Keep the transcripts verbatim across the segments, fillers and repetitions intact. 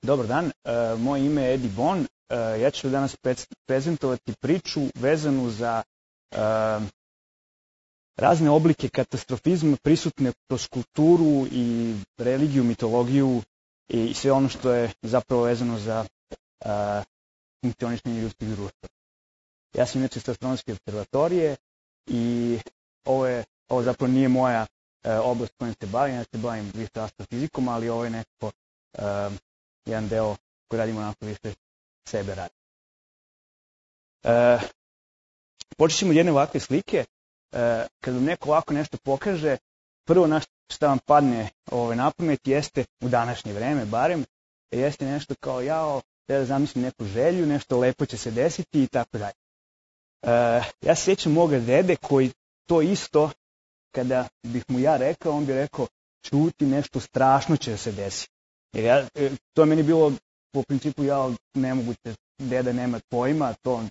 Dobar dan, uh, moje ime je Edi Bon. Uh, ja ću danas prezentovati priču vezanu za uh, razne oblike katastrofizma prisutne kroz kulturu i religiju, mitologiju i sve ono što je zapravo vezano za uh, funkcionisanje ljudskih društva. Ja sam inače sa Astronomske observatorije i ovo, je, ovo zapravo nije moja uh, oblast kojom se bavim, ja se bavim više astrofizikom, ali ovo je nekako uh, jedan deo koji radimo onako više sebe radi. Uh, počet ćemo od jedne ovakve slike. Uh, kad vam neko ovako nešto pokaže, prvo na šta vam padne ovaj, na pamet jeste, u današnje vreme barem, jeste nešto kao jao, da zamislim neku želju, nešto lepo će se desiti i tako dalje. Uh, ja se sjećam moga dede koji to isto, kada bih mu ja rekao, on bi rekao čuti, nešto strašno će se desiti. Jer ja, to je meni bilo po principu ja nemoguće, deda nema pojma, to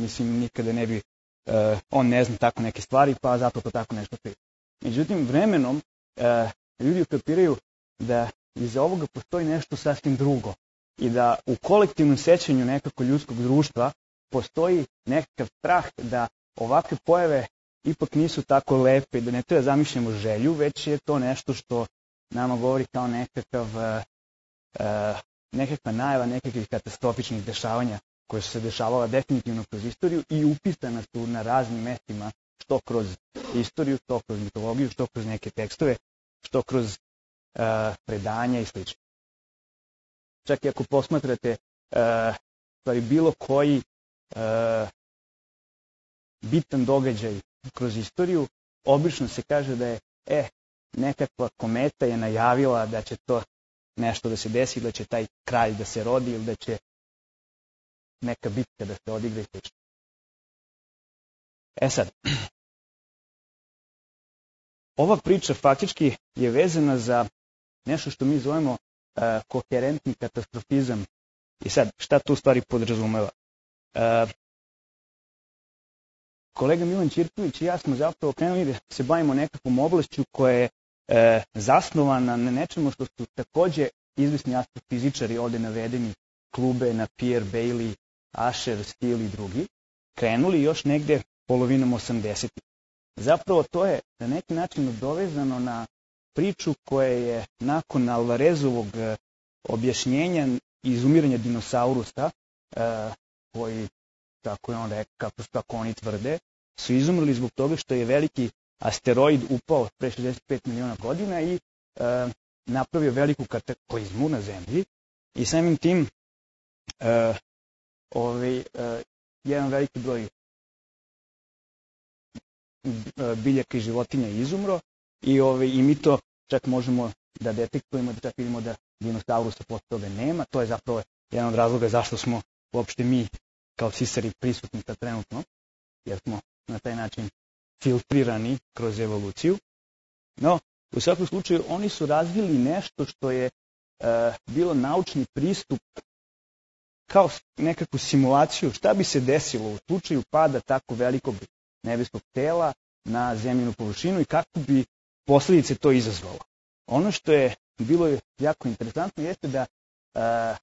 mislim nikada ne bi, uh, on ne zna tako neke stvari, pa zato to tako nešto priča. Međutim, vremenom uh, ljudi ukapiraju da iza ovoga postoji nešto sasvim drugo i da u kolektivnom sećanju nekako ljudskog društva postoji nekakav strah da ovakve pojave ipak nisu tako lepe, da ne treba zamišljamo želju, već je to nešto što nama govori kao nekakav, uh, uh, nekakva najava nekakvih katastrofičnih dešavanja koje su se dešavala definitivno kroz istoriju i upisana su na raznim mestima, što kroz istoriju, što kroz mitologiju, što kroz neke tekstove, što kroz uh, predanja i sl. Čak i ako posmatrate uh, stvari bilo koji uh, bitan događaj kroz istoriju, obično se kaže da je e, nekakva kometa je najavila da će to nešto da se desi, da će taj kralj da se rodi ili da će neka bitka da se odigra i sl. E sad, ova priča faktički je vezana za nešto što mi zovemo uh, koherentni katastrofizam. I sad, šta to u stvari podrazumeva? Uh, kolega Milan Ćirković i ja smo zapravo krenuli da se bavimo nekakvom oblašću koja je uh, zasnovana na nečemu što su takođe izvisni astrofizičari ovde navedeni, Klube, Napier, Bailey, Asher, Steele i drugi, krenuli još negde polovinom osamdesetih. Zapravo to je na neki način dovezano na priču koja je nakon Alvarezovog objašnjenja izumiranja dinosaurusa, koji, tako je on rekao, kako, kako oni tvrde, su izumrli zbog toga što je veliki asteroid upao pre šezdeset pet miliona godina i napravio veliku kataklizmu na zemlji i samim tim uh, ovaj, uh, jedan veliki broj biljaka i životinja izumro i, ovaj, i mi to čak možemo da detektujemo, da čak vidimo da dinosaurusa posle toga nema. To je zapravo jedan od razloga zašto smo uopšte mi kao cisari prisutni sad trenutno, jer smo na taj način filtrirani kroz evoluciju. No, u svakom slučaju oni su razvili nešto što je uh, bilo naučni pristup kao nekakvu simulaciju šta bi se desilo u slučaju pada tako velikog nebeskog tela na zemljinu površinu i kako bi posljedice to izazvalo. Ono što je bilo jako interesantno jeste da uh,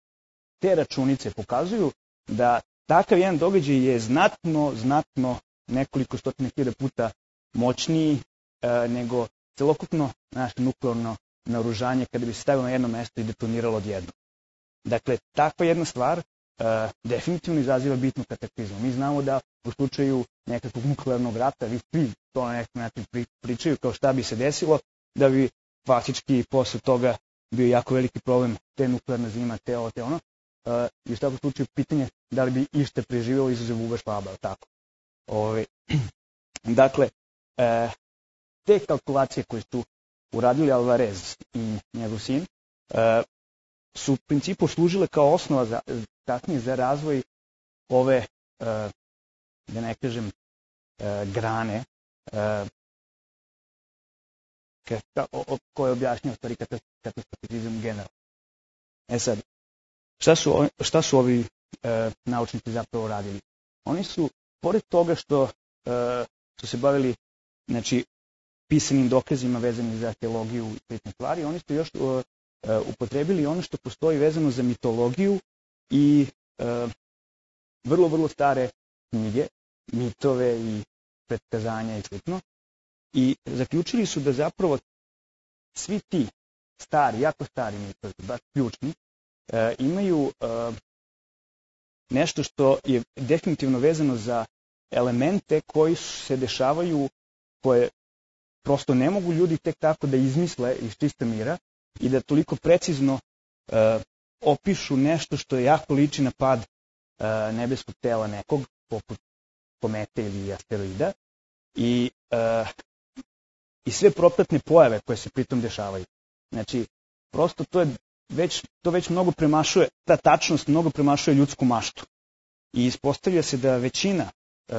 te računice pokazuju da takav jedan događaj je znatno, znatno nekoliko stotina hiljada puta moćniji uh, nego celokupno naše nuklearno naoružanje kada bi se stavilo na jedno mesto i detoniralo odjednom. Dakle, takva jedna stvar uh, definitivno izaziva bitnu kataklizmu. Mi znamo da u slučaju nekakvog nuklearnog rata, vi svi to na neki način pričaju kao šta bi se desilo, da bi faktički posle toga bio jako veliki problem te nuklearna zima, te ovo, te ono. Uh, I u svakom slučaju pitanje da li bi ište preživjelo izuzev Uga Švaba, tako. Ove, dakle, uh, te kalkulacije koje su uradili Alvarez i njegov sin uh, su u principu služile kao osnova za, kasnije za razvoj ove, uh, da ne kažem, uh, grane uh, koje objašnjava stvari katastrofizam generalno. E sad, šta su, šta su ovi uh, naučnici zapravo radili? Oni su, pored toga što uh, su se bavili, znači, pisanim dokazima vezanim za teologiju i slične stvari, oni su još uh, upotrebili ono što postoji vezano za mitologiju i uh, vrlo, vrlo stare knjige, mitove i predskazanja i slično. I zaključili su da zapravo svi ti stari, jako stari mitovi, baš ključni, uh, imaju uh, nešto što je definitivno vezano za elemente koji se dešavaju, koje prosto ne mogu ljudi tek tako da izmisle iz čista mira i da toliko precizno uh, opišu nešto što je jako liči na pad uh, nebeskog tela nekog, poput komete ili asteroida, i, uh, i sve propratne pojave koje se pritom dešavaju. Znači, prosto to je već, to već mnogo premašuje, ta tačnost mnogo premašuje ljudsku maštu. I ispostavlja se da većina uh,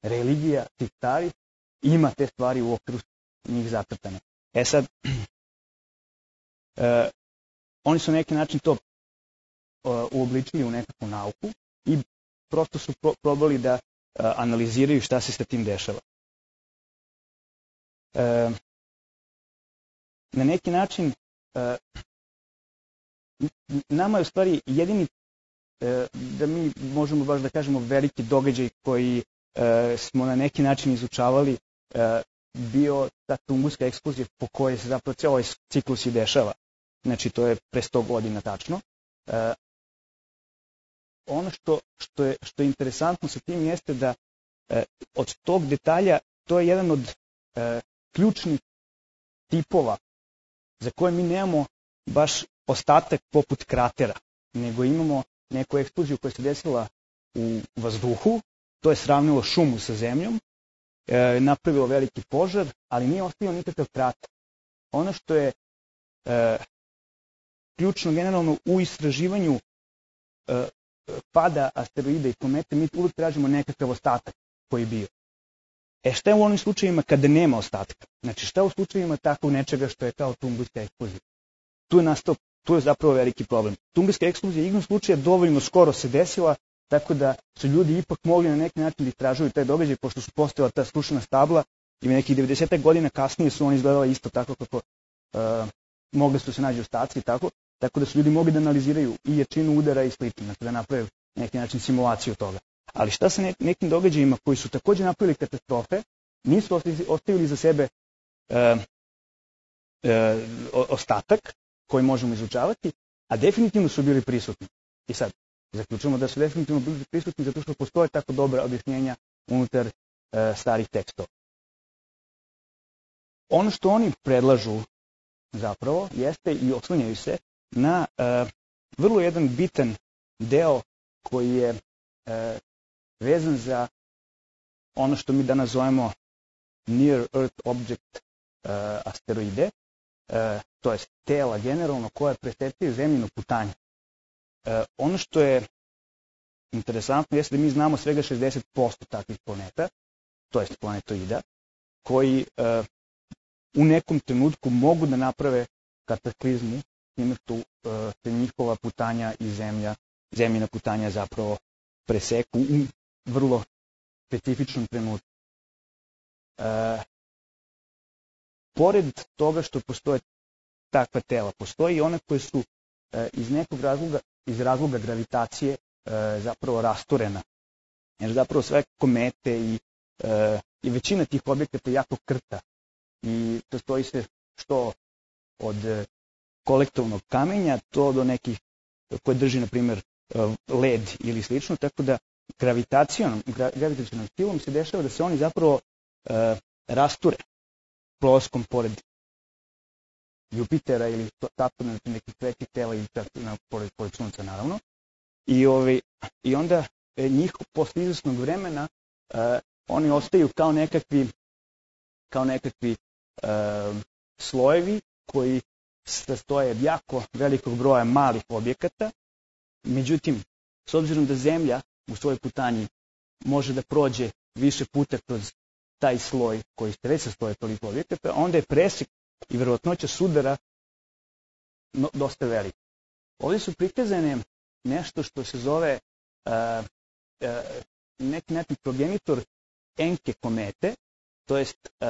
religija tih starih ima te stvari u okviru njih zacrtane. E sad, uh, oni su na neki način to uh, uobličili u nekakvu nauku i prosto su pro probali da uh, analiziraju šta se sa tim dešava. Uh, na neki način, uh, nama je u stvari jedini, uh, da mi možemo baš da kažemo veliki događaj koji uh, smo na neki način izučavali, uh, bio ta Tunguska eksplozija po kojoj se zapravo cijel ovaj ciklus i dešava. Znači, to je pre sto godina tačno. Uh, ono što, što, je, što je interesantno sa tim jeste da uh, od tog detalja to je jedan od uh, ključnih tipova za koje mi nemamo baš ostatak poput kratera, nego imamo neku eksploziju koja se desila u vazduhu, to je sravnilo šumu sa zemljom, e, napravilo veliki požar, ali nije ostavio nikakav krater. Ono što je e, ključno generalno u istraživanju e, pada asteroida i komete, mi uvijek tražimo nekakav ostatak koji je bio. E šta je u onim slučajevima kada nema ostatka? Znači šta u slučajevima takvog nečega što je kao Tunguska eksplozija? Tu je nastao, tu je zapravo veliki problem. Tunguska eksplozija igrom slučaja dovoljno skoro se desila, tako da su ljudi ipak mogli na neki način da istražuju taj događaj, pošto su postojala ta srušena stabla i nekih devedeset godina kasnije su oni izgledali isto tako kako uh, mogli su se naći ostaci i tako, tako da su ljudi mogli da analiziraju i jačinu udara i slično, dakle da naprave na neki način simulaciju toga. Ali šta sa nekim događajima koji su također napravili katastrofe, nisu ostavili za sebe uh, uh, ostatak koji možemo izučavati, a definitivno su bili prisutni. I sad, zaključujemo da su definitivno bili prisutni zato što postoje tako dobra objašnjenja unutar uh, starih tekstova. Ono što oni predlažu zapravo jeste i oslanjaju se na uh, vrlo jedan bitan deo koji je uh, vezan za ono što mi danas zovemo Near Earth Object uh, asteroide, uh, to je tela generalno koja presetaju zemljinu putanju. Uh, ono što je interesantno jeste da mi znamo svega šezdeset posto takvih planeta, to je planetoida, koji uh, u nekom trenutku mogu da naprave kataklizmu time što uh, se njihova putanja i zemlja, zemljina putanja zapravo preseku u vrlo specifičnom trenutku. E, pored toga što postoje takva tela, postoji i one koje su e, iz nekog razloga, iz razloga gravitacije e, zapravo rasturena. Jer zapravo sve komete i, e, i većina tih objekata jako krta. I to stoji se što od kolektovnog kamenja, to do nekih koje drži, na primjer, led ili slično, tako da gravitacijom, gravitacijom silom se dešava da se oni zapravo e, rasture prolaskom pored Jupitera ili Saturna, nekih većih tela ili na, pored, pored Sunca naravno. I, ovi, i onda e, njih posle izvesnog vremena e, oni ostaju kao nekakvi, kao nekakvi e, slojevi koji sastoje od jako velikog broja malih objekata. Međutim, s obzirom da Zemlja u svojoj putanji može da prođe više puta kroz taj sloj koji se već sastoje toliko objekata, onda je presek i verovatnoća sudara no, dosta velika. Ovdje su prikazane nešto što se zove uh, uh, neki način progenitor Enke komete, to jest uh,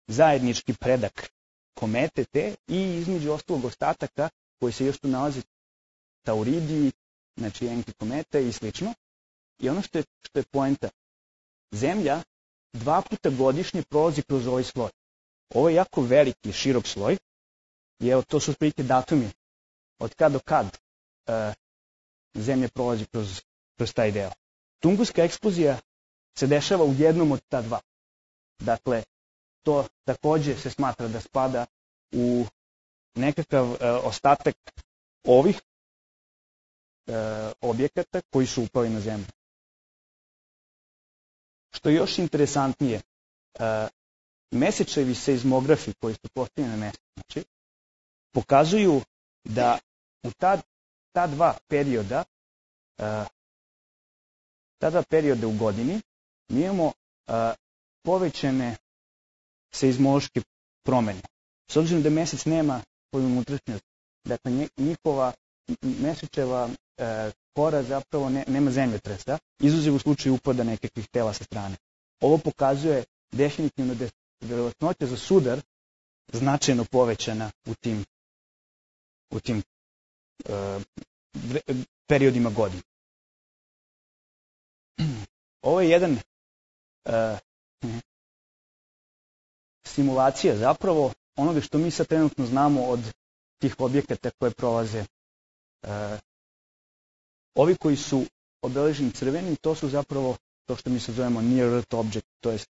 zajednički predak komete te i između ostalog ostataka koji se još tu nalazi Tauridi, znači Enki komete i slično. I ono što je, što je poenta, Zemlja dva puta godišnje prolazi kroz ovaj sloj. Ovo je jako veliki, širok sloj i evo to su otprilike datumi od kad do kad uh, Zemlja prolazi kroz, kroz taj deo. Tunguska eksplozija se dešava u jednom od ta dva. Dakle, to takođe se smatra da spada u nekakav uh, ostatak ovih uh, objekata koji su upali na Zemlju. Što je još interesantnije, uh, mesečevi seizmografi koji su postavljeni na mesecu, znači, pokazuju da u ta, ta dva perioda, uh, ta dva perioda u godini, mi imamo uh, povećane seizmološke promene. S obzirom da mesec nema svoju unutrašnjost, dakle njihova mesečeva uh, kora zapravo ne, nema zemljotresa, izuzev u slučaju upada nekakvih tela sa strane. Ovo pokazuje definitivno da je verovatnoća za sudar značajno povećana u tim, u tim uh, periodima godine. Ovo je jedan uh, simulacija zapravo onoga što mi sad trenutno znamo od tih objekata koje prolaze. Uh, ovi koji su obeleženi crvenim, to su zapravo to što mi se zovemo near Earth object, to jest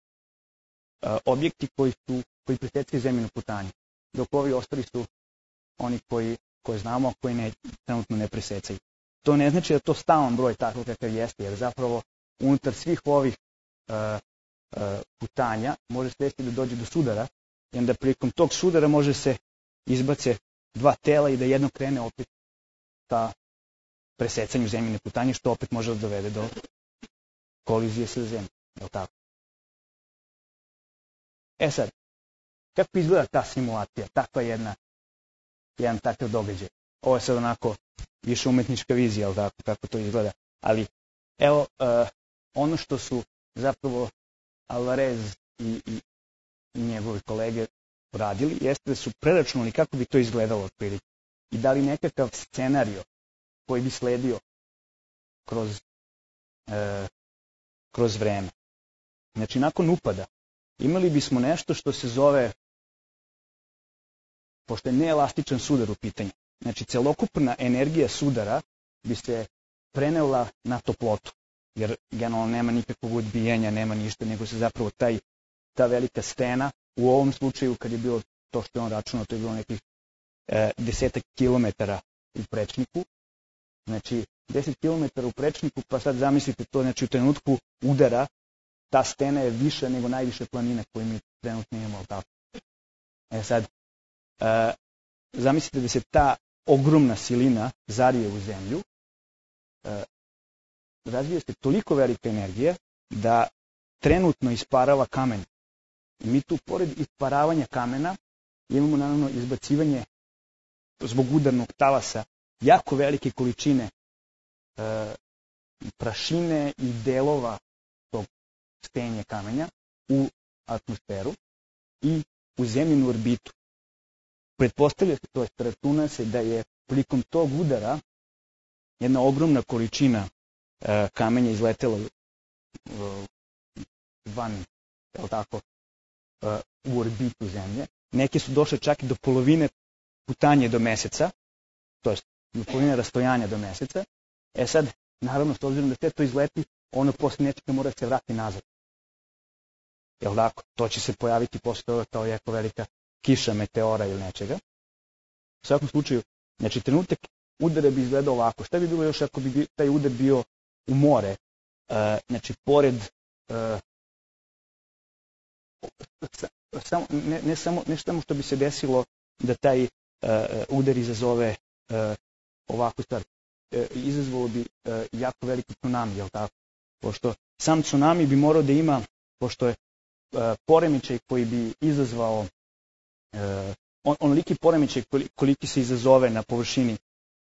uh, objekti koji su koji presecaju zemljinu putanju, dok ovi ostali su oni koji, koje znamo, a koji ne, trenutno ne presecaju. To ne znači da to stalan broj tako kakav jeste, jer zapravo unutar svih ovih uh, uh, putanja može se desiti da dođe do sudara i onda prilikom tog sudara može se izbace dva tela i da jedno krene opet ka presecanju zemljine putanje, što opet može da dovede do kolizije sa zemljom. Je li tako? E sad, kako izgleda ta simulacija, takva jedna, jedan takav događaj? Ovo je sad onako više umetnička vizija, ali tako, kako to izgleda. Ali, evo, uh, ono što su zapravo Alvarez i, i, i njegovi kolege radili, jeste da su preračunali kako bi to izgledalo otprilike i dali nekakav scenario koji bi sledio kroz, uh, kroz vreme. Znači, nakon upada imali bismo nešto što se zove, pošto je neelastičan sudar u pitanju, znači celokupna energija sudara bi se prenela na toplotu, jer generalno nema nikakvog odbijenja, nema ništa, nego se zapravo taj, ta velika stena, u ovom slučaju kad je bilo to što je on računao, to je bilo nekih e, desetak kilometara u prečniku, znači deset kilometara u prečniku, pa sad zamislite to, znači u trenutku udara, ta stena je više nego najviše planine koje mi trenutno imamo. Tako. E sad, e, zamislite da se ta ogromna silina zarije u zemlju, e, razvije se toliko velika energija da trenutno isparava kamen. I mi tu, pored isparavanja kamena, imamo naravno izbacivanje zbog udarnog talasa jako velike količine e, prašine i delova tog stenja kamenja u atmosferu i u zemljinu orbitu. Pretpostavlja se, to je računa se da je prilikom tog udara jedna ogromna količina e, kamenja izletela e, van, je li tako, e, u orbitu zemlje. Neke su došle čak i do polovine putanje do meseca, to je do polovine rastojanja do meseca. E sad, naravno, s obzirom da sve to izleti, ono posle nečega mora se vrati nazad. Je li tako? To će se pojaviti posle toga kao jako velika kiša meteora ili nečega. U svakom slučaju, znači trenutak udara bi izgledao ovako. Šta bi bilo još ako bi taj udar bio u more? E, znači, pored e, samo, ne, ne, samo, ne samo što bi se desilo da taj e, udar izazove e, ovakvu stvar. E, izazvalo bi e, jako veliki tsunami, je li tako? Pošto sam tsunami bi morao da ima, pošto je e, poremećaj koji bi izazvao e, on, onoliki poremećaj koliki se izazove na površini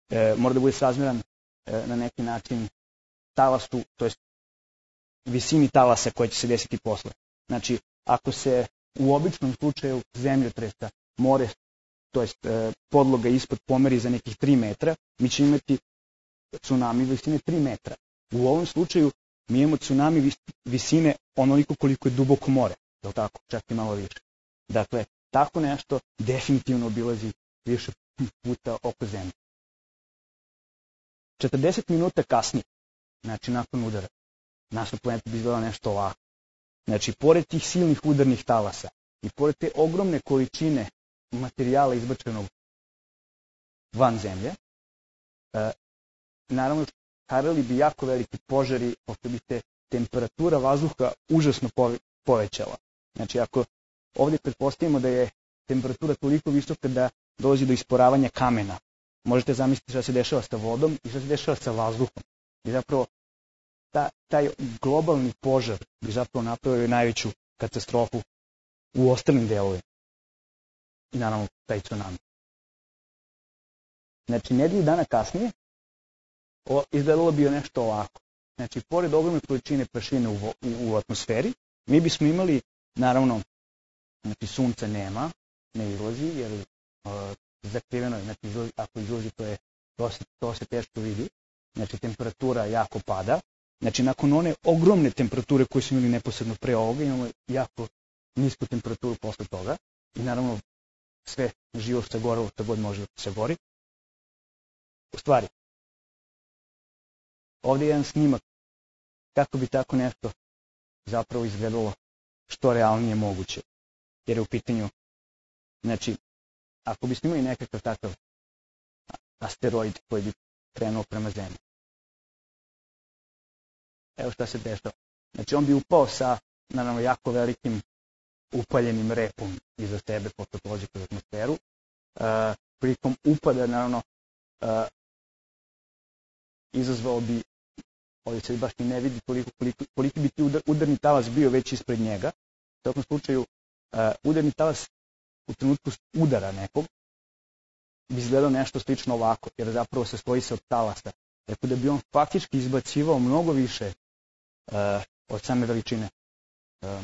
e, mora da bude srazmjeran e, na neki način talasu, to jest visini talasa koja će se desiti posle. Znači, ako se u običnom slučaju zemljotresa more, to jest podloga ispod pomeri za nekih tri metra, mi ćemo imati tsunami visine tri metra. U ovom slučaju mi imamo tsunami visine onoliko koliko je duboko more, je li tako? Čak i malo više. Dakle, tako nešto definitivno obilazi više puta oko zemlje. četrdeset minuta kasnije, znači nakon udara, naša planeta bi izgledala nešto ovako. Znači, pored tih silnih udarnih talasa i pored te ogromne količine materijala izbačenog van zemlje, e, naravno, harali bi jako veliki požari, pošto bi se temperatura vazduha užasno povećala. Znači, ako ovdje pretpostavimo da je temperatura toliko visoka da dolazi do isporavanja kamena, možete zamisliti šta se dešava sa vodom i šta se dešava sa vazduhom. I zapravo, ta, taj globalni požar bi zapravo napravio najveću katastrofu u ostalim delovima. I naravno, taj tsunami. Znači, nedelju dana kasnije, o, izgledalo bi nešto ovako. Znači, pored ogromne količine prašine u, u, u atmosferi, mi bismo imali, naravno, znači, sunca nema, ne izlazi, jer uh, zakriveno je, znači, izlazi, ako izlazi, to, je, to, se, to se teško vidi. Znači, temperatura jako pada. Znači, nakon one ogromne temperature koje su imali neposredno pre ovoga, imamo jako nisku temperaturu posle toga. I naravno, sve živo sagorelo, što god može da se gori. U stvari, ovdje je jedan snimak kako bi tako nešto zapravo izgledalo što realnije moguće. Jer je u pitanju, znači, ako bi snimali nekakav takav asteroid koji bi krenuo prema zemlji. Evo šta se dešava. Znači, on bi upao sa, naravno, jako velikim upaljenim repom iza sebe, pošto prođe kroz atmosferu. Uh, prilikom upada, naravno, uh, izazvao bi, ovdje se baš ni ne vidi koliko, koliko, koliki bi ti udar, udarni talas bio već ispred njega. U svakom slučaju, uh, udarni talas u trenutku udara nekog bi izgledao nešto slično ovako, jer zapravo se stoji se od talasa. Tako da bi on faktički izbacivao mnogo više uh, od same veličine uh,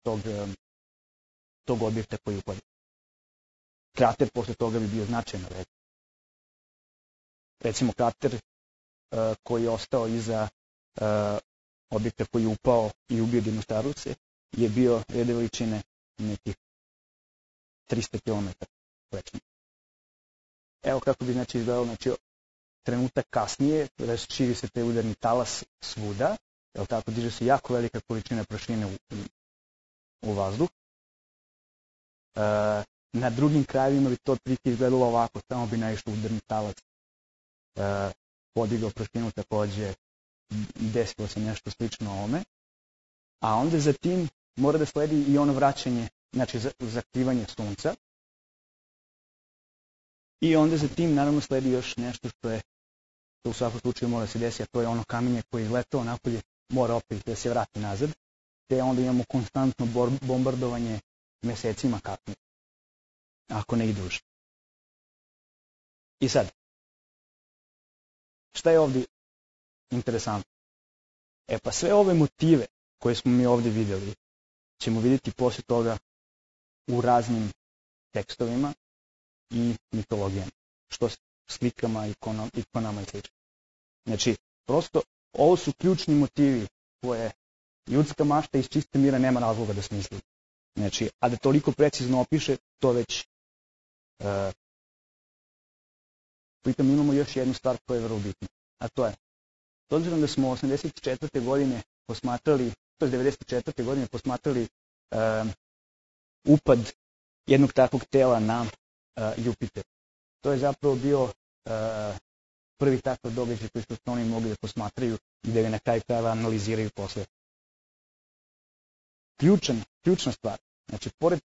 tog, um, tog objekta koji upada. Krater posle toga bi bio značajno veći. Recimo krater uh, koji je ostao iza uh, objekta koji je upao i ubio Dinostaruse je bio rede veličine nekih tristo kilometara. Evo kako bi znači izgledalo, znači trenutak kasnije, širi se taj udarni talas svuda, jel tako, diže se jako velika količina prašine u, u vazduh. E, na drugim krajevima bi to otprilike izgledalo ovako, samo bi naišao udarni talas, e, podigao prašinu takođe, desilo se nešto slično ovome, a onda za tim mora da sledi i ono vraćanje, znači zakrivanje sunca. I onda za tim naravno sledi još nešto što je, što u svakom slučaju mora da se desi, a to je ono kamenje koje je izletao napolje, mora opet da se vrati nazad, te onda imamo konstantno bombardovanje mesecima kasnije, ako ne i duže. I sad, šta je ovdje interesantno? E pa sve ove motive koje smo mi ovdje vidjeli, ćemo vidjeti poslije toga u raznim tekstovima i mitologijama, što slikama, ikonom, ikonama i sl. Znači, prosto, ovo su ključni motivi koje ljudska mašta iz čiste mira nema razloga da smisli. Znači, a da toliko precizno opiše, to već uh, pritom imamo još jednu stvar koja je vrlo bitna, a to je, s obzirom da smo osamdeset četvrte godine posmatrali, to je devedeset četvrte godine posmatrali uh, upad jednog takvog tela na uh, Jupiter. To je zapravo bio uh, prvi takav događaj koji su oni mogli da posmatraju i da ga na kraju krajeva analiziraju posle. Ključan, ključna stvar, znači pored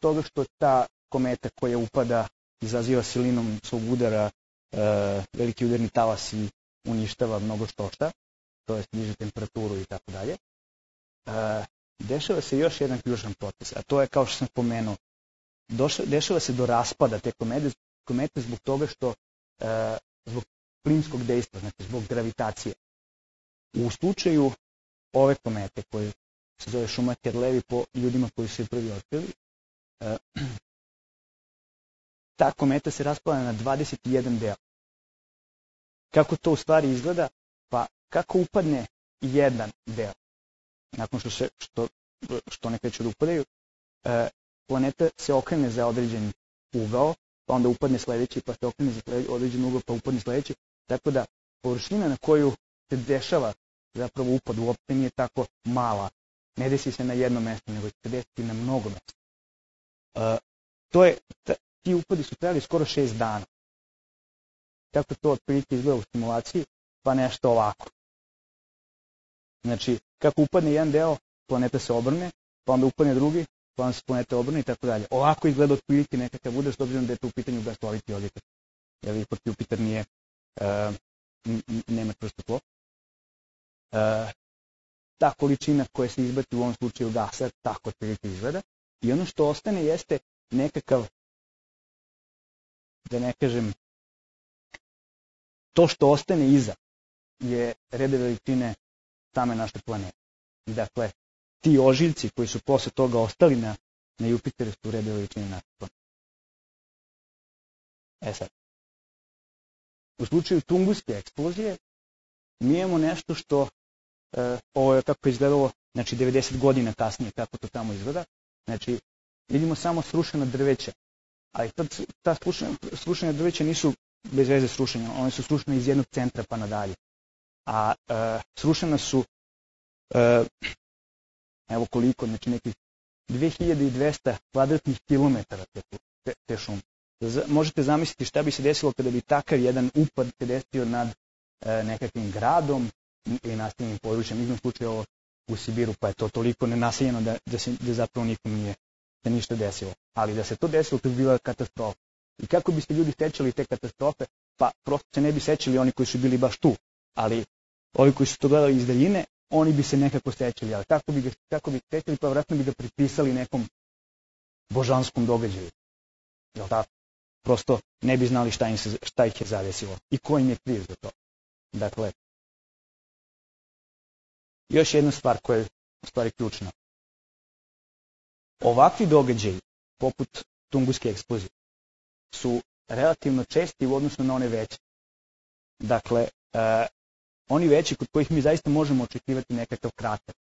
toga što ta kometa koja upada izaziva silinom svog udara uh, veliki udarni talas i uništava mnogo što šta, to je diže temperaturu i tako dalje, dešava se još jedan ključan proces, a to je, kao što sam spomenuo, došla, dešava se do raspada te komete, komete zbog toga što, uh, zbog plinskog dejstva, znači zbog gravitacije. U slučaju ove komete, koje se zove Schumacher-Levy po ljudima koji su je prvi otkrili, uh, ta kometa se raspala na dvadeset jedan deo. Kako to u stvari izgleda? Pa kako upadne jedan deo, nakon što, se, što, što ne kreću da upadaju, e, planeta se okrene za određen ugao, pa onda upadne sledeći, pa se okrene za određen ugao, pa upadne sledeći. Tako da površina na koju se dešava zapravo upad uopšte nije tako mala. Ne desi se na jedno mesto, nego će se desiti na mnogo mesta. E, to je, ti upadi su trajali skoro šest dana. Kako to otprilike izgleda u simulaciji? Pa nešto ovako. Znači, kako upadne jedan deo, planeta se obrne, pa onda upadne drugi, pa onda se planeta obrne i tako dalje. Ovako izgleda otprilike nekakav udar, s obzirom da je to u pitanju gasoviti objekat. Jer ipak Jupiter nije, uh, nema čvrsto tlo. Uh, ta količina koja se izbaci u ovom slučaju gasa, tako otprilike izgleda. I ono što ostane jeste nekakav, da ne kažem, to što ostane iza je rede veličine same naše planete. Dakle, ti ožiljci koji su posle toga ostali na, na Jupiteru su rede veličine naše planete. E sad, u slučaju tunguske eksplozije mi imamo nešto što, e, ovo je kako je izgledalo, znači devedeset godina kasnije kako to tamo izgleda, znači vidimo samo srušena drveća, ali tad, ta srušena, srušena drveća nisu bez veze srušenja, one su srušene iz jednog centra pa nadalje. A e, srušena su, e, evo koliko, znači nekih dve hiljade dvesta kvadratnih kilometara te, te, te šume. Z, možete zamisliti šta bi se desilo kada bi takav jedan upad se desio nad e, nekakvim gradom ili naseljenim područjem, između slučaju ovo u Sibiru, pa je to toliko nenaseljeno da, da, se, da zapravo nikom nije da ništa desilo. Ali da se to desilo, to bi bila katastrofa. I kako bi se ljudi sećali te katastrofe? Pa prosto se ne bi sećali oni koji su bili baš tu, ali ovi koji su to gledali iz daljine, oni bi se nekako sećali, ali kako bi, ga, kako bi sećali, pa vratno bi ga pripisali nekom božanskom događaju. Jel tako? Prosto ne bi znali šta, im se, šta ih je zadesilo i ko im je kriv za to. Dakle, još jedna stvar koja je u stvari ključna. Ovakvi događaji, poput tunguske eksplozije, su relativno česti u odnosu na one veće. Dakle, e, oni veći kod kojih mi zaista možemo očekivati nekakav krater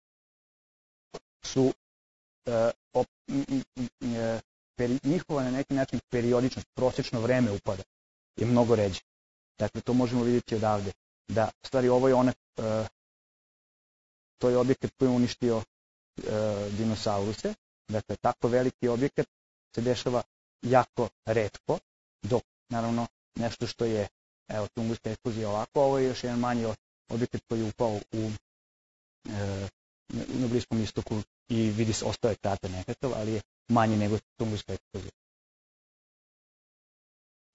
su e, op, m, m, m, peri, njihova na neki način periodičnost, prosječno vreme upada je mnogo ređe. Dakle, to možemo vidjeti odavde. Da, u stvari, ovo je ona, e, to je objekat koji je uništio e, dinosauruse. Dakle, tako veliki objekat se dešava jako retko, dok, naravno, nešto što je, evo, tunguska eksplozija ovako, ovo je još jedan manji objekat koji je upao u, e, na Bliskom istoku i vidi se, ostao je krater nekakav, ali je manji nego tunguska eksplozija.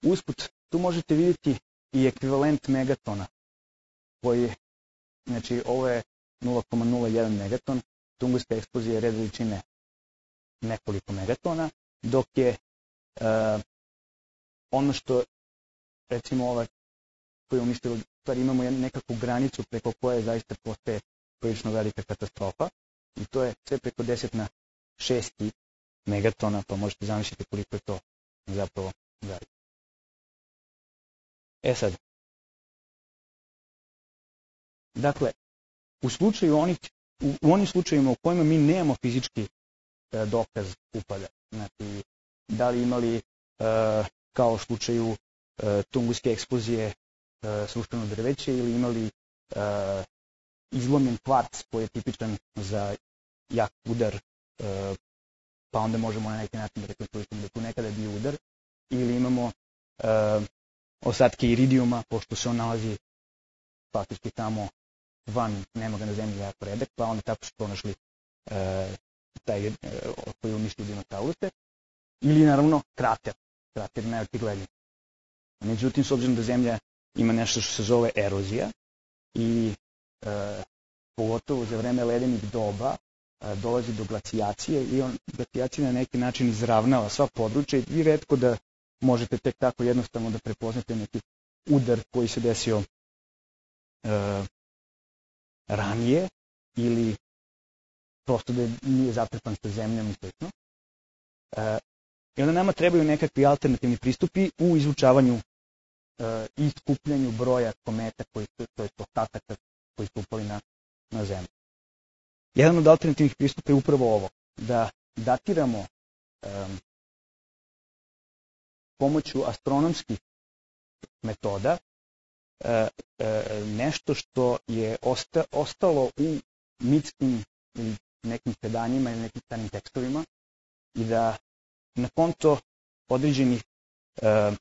Usput, tu možete vidjeti i ekvivalent megatona, koji je, znači, ovo je nula zarez nula jedan megaton, tunguska eksplozija je red veličine nekoliko megatona, dok je e, ono što, recimo, ova koja je uništila, stvari imamo nekakvu granicu preko koje zaista postaje prilično velika katastrofa i to je sve preko deset na šest megatona, pa možete zamisliti koliko je to zapravo veliko. E sad, dakle, u slučaju onih, u, u onim slučajima u kojima mi nemamo fizički e, dokaz upada, znači, da li imali, e, kao u slučaju e, tunguske eksplozije, e, srušeno drveće ili imali e, izlomljen kvarc koji je tipičan za jak udar, e, pa onda možemo na neki način da rekonstruišemo da tu nekada je bio udar, ili imamo e, ostatke iridijuma, pošto se on nalazi faktički tamo van, nema ga na zemlji jako redak, pa onda tako su pronašli e, taj e, koji je uništio dinosauruse, ili naravno krater, krater najočigledniji. Međutim, s obzirom da zemlja ima nešto što se zove erozija i e, pogotovo za vreme ledenih doba e, dolazi do glacijacije i on glacijacija na neki način izravnava sva područja i vi retko da možete tek tako jednostavno da prepoznate neki udar koji se desio e, ranije ili prosto da nije zatrpan sa zemljom i slično. E, I onda nama trebaju nekakvi alternativni pristupi u izučavanju i skupljanju broja kometa koji su, to je ostataka koji su upali na, na zemlju. Jedan od alternativnih pristupa je upravo ovo, da datiramo um, pomoću astronomskih metoda uh, uh, nešto što je osta, ostalo u mitskim ili nekim predanjima ili nekim starim tekstovima i da na konto određenih uh,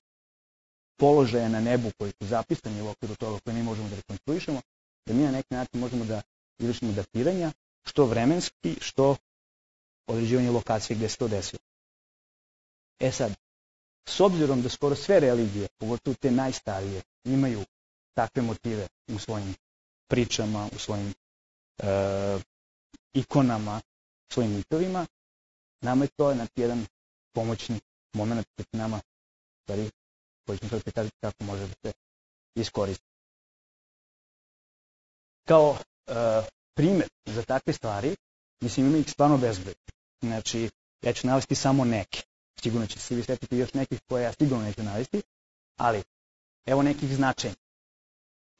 položaja na nebu koji su zapisani u okviru toga koje mi možemo da rekonstruišemo, da mi na neki način možemo da izvršimo datiranja, što vremenski, što određivanje lokacije gde se to desilo. E sad, s obzirom da skoro sve religije, pogotovo te najstarije, imaju takve motive u svojim pričama, u svojim e, ikonama, svojim mitovima, nama je to znači, jedan pomoćni moment koji će nama, stvari, koji ćemo sad prikazati kako može da se iskoristi. Kao e, primjer za takve stvari, mislim ima ih stvarno bezbroj. Znači, ja ću navesti samo neke. Sigurno će se vi setiti još nekih koje ja sigurno neću navesti, ali evo nekih značenja.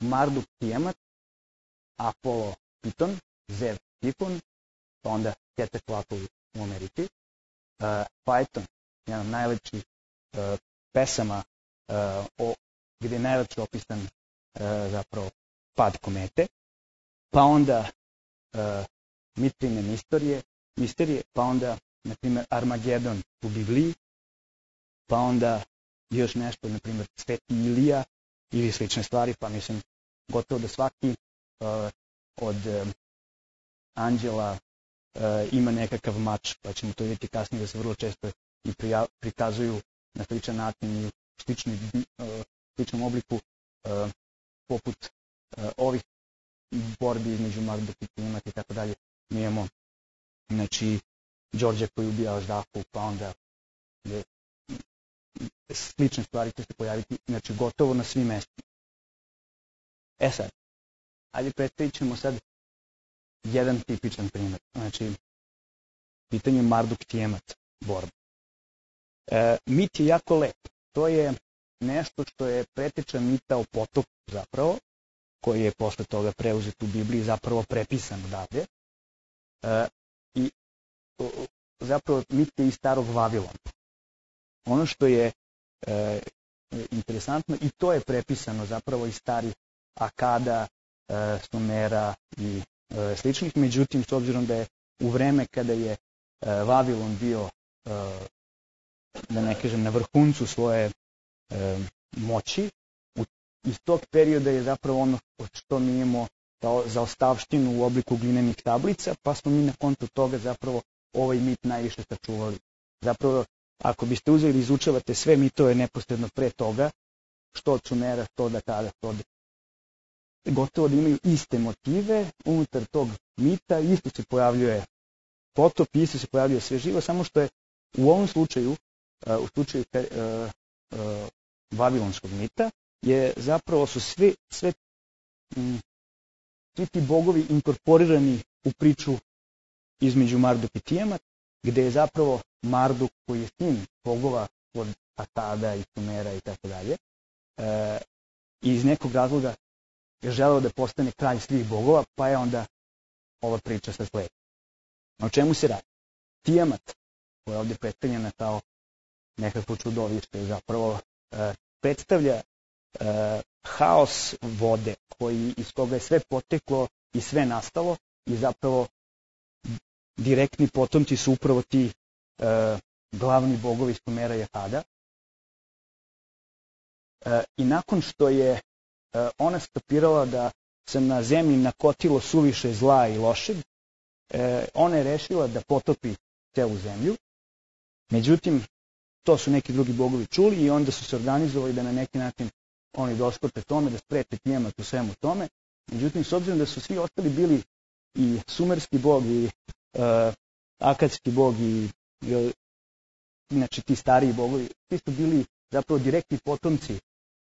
Marduk Tiamat, Apollo Piton, Zeus Typhon, pa onda Quetzalcoatl u Americi, uh, Phaeton, jedan od najlepših uh, pesama uh, o, gdje je najlepše opisan uh, zapravo pad komete, pa onda uh, mitrine misterije, misterije, pa onda, na primjer, Armagedon u Bibliji, pa onda još nešto, na primjer, Sveti Ilija ili slične stvari, pa mislim, gotovo da svaki uh, od um, anđela uh, ima nekakav mač, pa ćemo to vidjeti kasnije da se vrlo često i prija, prikazuju na sličan način i u slični, uh, sličnom obliku, uh, poput uh, ovih borbi između Marduka i Timata i tako dalje. Mi imamo, znači, Đorđe koji ubija Ždahu, pa onda je, slične stvari će se pojaviti, znači, gotovo na svim mestima. E sad, ajde predstavit ćemo sad jedan tipičan primjer. Znači, pitanje Marduk Tiamat borba. E, mit je jako lep. To je nešto što je preteča mita o potopu zapravo, koji je posle toga preuzet u Bibliji, zapravo prepisan odavde. E, I o, zapravo mit je iz starog Vavilona. Ono što je e, interesantno, i to je prepisano zapravo iz starih Akada, e, Sumera i e, sličnih, međutim, s obzirom da je u vreme kada je e, Vavilon bio, e, da ne kažem, na vrhuncu svoje e, moći, u, iz tog perioda je zapravo ono što mi imamo kao zaostavštinu u obliku glinenih tablica, pa smo mi na kontu toga zapravo ovaj mit najviše sačuvali. Zapravo, ako biste uzeli i izučavate sve mitove neposredno pre toga, što od Sumera, što od Akada, što od gotovo da imaju iste motive unutar tog mita, isto se pojavljuje potop, isto se pojavljuje sve živo, samo što je u ovom slučaju, u slučaju vavilonskog mita, je zapravo su sve, sve, svi ti bogovi inkorporirani u priču između Marduk i Tiamat, gde je zapravo Marduk koji je sin bogova od Akada i Sumera i tako dalje, i iz nekog razloga je želeo da postane kralj svih bogova, pa je onda ova priča sa slijedi. O čemu se radi? Tiamat, koja je ovdje predstavljena kao nekakvo čudovište, zapravo e, predstavlja e, haos vode, koji, iz koga je sve poteklo i sve nastalo, i zapravo direktni potomci su upravo ti e, glavni bogovi Sumera i Akada. E, I nakon što je ona stopirala da se na zemlji nakotilo suviše zla i lošeg, ona je rešila da potopi celu zemlju. Međutim, to su neki drugi bogovi čuli i onda su se organizovali da na neki način oni doskoče tome, da spreče Tiamat u svemu tome. Međutim, s obzirom da su svi ostali bili i sumerski bog i uh, akadski bog i uh, znači ti stariji bogovi, svi su bili zapravo direktni potomci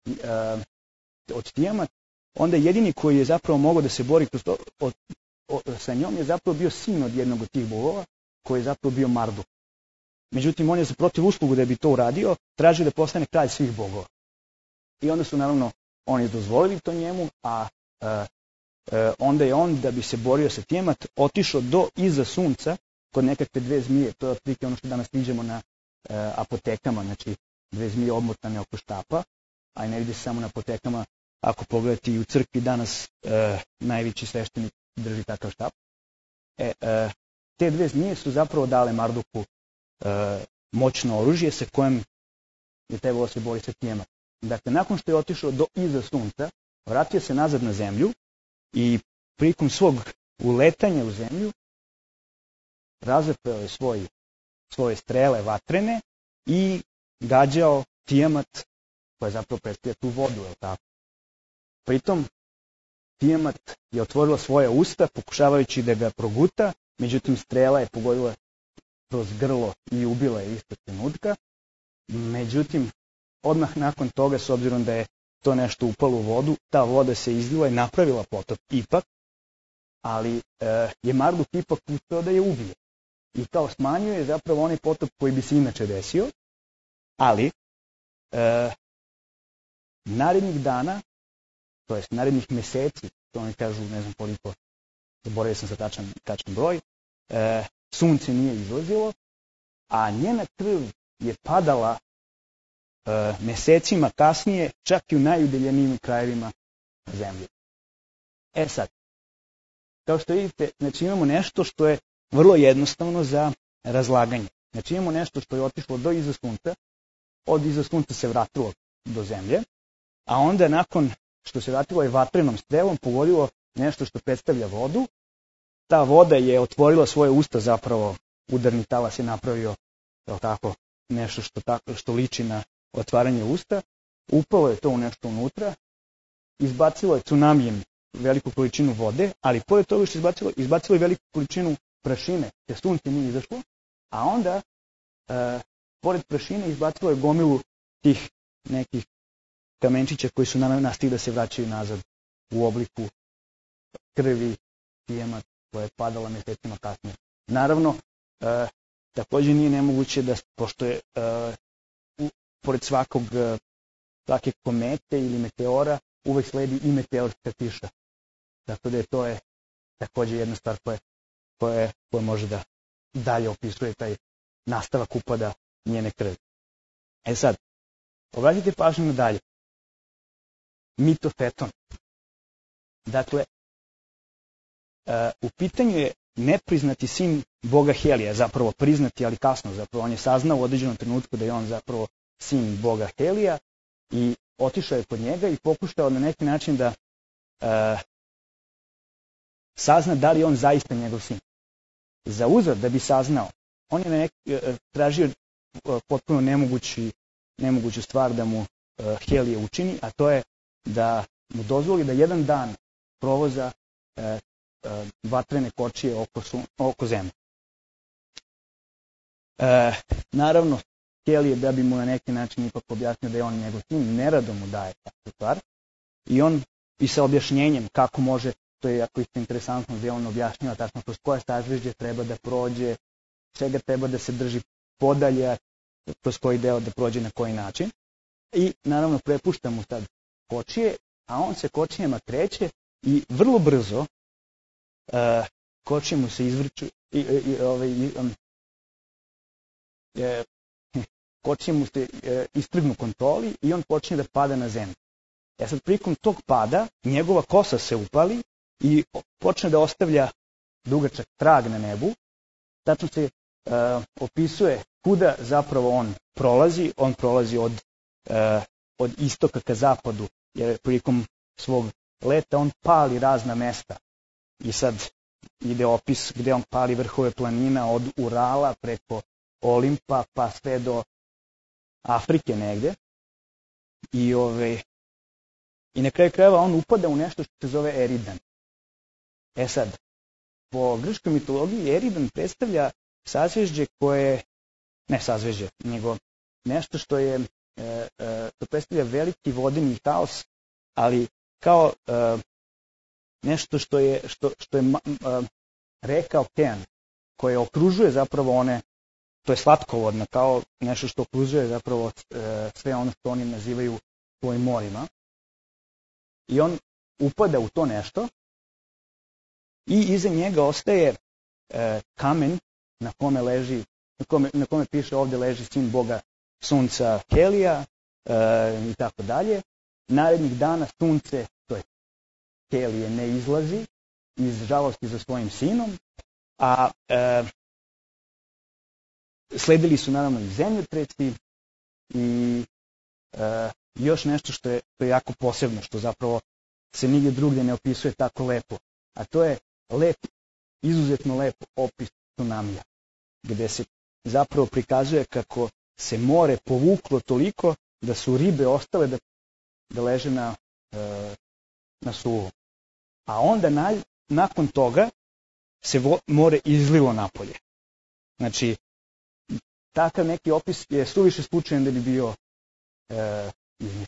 uh, od Tiamat, onda jedini koji je zapravo mogao da se bori kroz to, od, od, sa njom je zapravo bio sin od jednog od tih bogova, koji je zapravo bio Marduk. međutim on je za protiv uslugu da bi to uradio, tražio da postane kralj svih bogova. I onda su naravno oni dozvolili to njemu, a e, e, onda je on, da bi se borio sa Tiamat, otišao do iza sunca kod nekakve dve zmije. To je otprilike ono što danas viđamo na e, apotekama, znači dve zmije obmotane oko štapa, a i ne vidi se samo na apotekama. Ako pogledate i u crkvi danas e, najveći sveštenik drži takav štap. E, e, te dve zmije su zapravo dale Marduku e, moćno oružje sa kojem je trebalo se bori sa Tiamat. Dakle, nakon što je otišao do iza sunca, vratio se nazad na zemlju i prilikom svog uletanja u zemlju razapeo je svoj, svoje strele vatrene i gađao Tiamat, koja zapravo predstavlja tu vodu, je li tako? Pritom, Tiamat je otvorila svoje usta, pokušavajući da ga proguta, međutim strela je pogodila kroz grlo i ubila je istog trenutka. Međutim, odmah nakon toga, s obzirom da je to nešto upalo u vodu, ta voda se izlila i napravila potop ipak, ali e, je Marduk ipak uspeo da je ubije. I kao smanjio je zapravo onaj potop koji bi se inače desio, ali e, narednih dana, to jest narednih meseci, to oni kažu, ne znam koliko, zaboravio sam sa tačan, tačan broj, e, sunce nije izlazilo, a njena krv je padala e, mesecima kasnije, čak i u najudaljenijim krajevima zemlje. E sad, kao što vidite, znači imamo nešto što je vrlo jednostavno za razlaganje. Znači imamo nešto što je otišlo do iza sunca, od iza sunca se vratilo do zemlje, a onda nakon što se vratilo je vatrenom strelom pogodilo nešto što predstavlja vodu. Ta voda je otvorila svoje usta, zapravo udarni talas je napravio tako, nešto što, tako, što liči na otvaranje usta. Upalo je to u nešto unutra, izbacilo je tsunamijem veliku količinu vode, ali pored toga što je izbacilo, izbacilo je veliku količinu prašine, te sunce nije izašlo, a onda, e, pored prašine, izbacilo je gomilu tih nekih kamenčića koji su nastigli da se vraćaju nazad u obliku krvi Tiamat koja je padala mesecima kasnije. Naravno, e, također nije nemoguće da, pošto je e, u, pored svakog, e, svake komete ili meteora, uvek sledi i meteorska kiša. Tako da je to je također jedna stvar koja, koja, koja može da dalje opisuje taj nastavak upada njene krvi. E sad, obratite pažnju na dalje. Mitofeton. Dakle, e, u pitanju je nepriznati sin boga Helija, zapravo priznati, ali kasno, zapravo on je saznao u određenom trenutku da je on zapravo sin boga Helija i otišao je kod njega i pokušao na neki način da e, sazna da li je on zaista njegov sin. Za uzor da bi saznao, on je na neki, e, tražio e, potpuno nemogući, nemoguću stvar da mu e, Helije učini, a to je da mu dozvoli da jedan dan provoza e, e, vatrene kočije oko, su, oko zemlje. E, naravno, Helije, da bi mu na neki način ipak objasnio da je on njegov sin, nerado mu daje takvu stvar. I on i sa objašnjenjem kako može, to je jako isto interesantno, gdje on objašnjava tačno kroz koje sažvežđe treba da prođe, čega treba da se drži podalje, kroz koji deo da prođe na koji način. I naravno prepušta mu sad kočije, a on se kočijama kreće i vrlo brzo uh, kočije mu se izvrću i, i, i, ovaj, um, je, kočije mu se e, istrgnu kontroli i on počne da pada na zemlju. E sad prilikom tog pada njegova kosa se upali i počne da ostavlja dugačak trag na nebu. Tačno se e, opisuje kuda zapravo on prolazi. On prolazi od, e, od istoka ka zapadu, jer prilikom svog leta on pali razna mesta. I sad ide opis gde on pali vrhove planina od Urala preko Olimpa pa sve do Afrike negde. I, ove, i na kraju krajeva on upada u nešto što se zove Eridan. E sad, po grčkoj mitologiji Eridan predstavlja sazvežđe koje, ne sazvežđe, nego nešto što je, e, e, to predstavlja veliki vodeni haos, ali kao e, nešto što je, što, što je e, reka okean, koje okružuje zapravo one to je slatkovodna, kao nešto što okružuje zapravo e, sve ono što oni nazivaju svojim morima. I on upada u to nešto i iza njega ostaje e, kamen na kome leži, na kome, na kome piše ovdje leži sin Boga sunca Helija e, i tako dalje. Narednih dana sunce, to je Helije, ne izlazi iz žalosti za svojim sinom, a e, sledili su naravno i zemljotresi i e, još nešto što je, što je jako posebno, što zapravo se nigdje drugdje ne opisuje tako lepo, a to je lep, izuzetno lep opis tsunamija, gdje se zapravo prikazuje kako se more povuklo toliko da su ribe ostale da, da leže na, e, na suvom. A onda na, nakon toga se vo, more izlilo napolje. Znači, takav neki opis je suviše slučajan da bi bio e, izmišljen.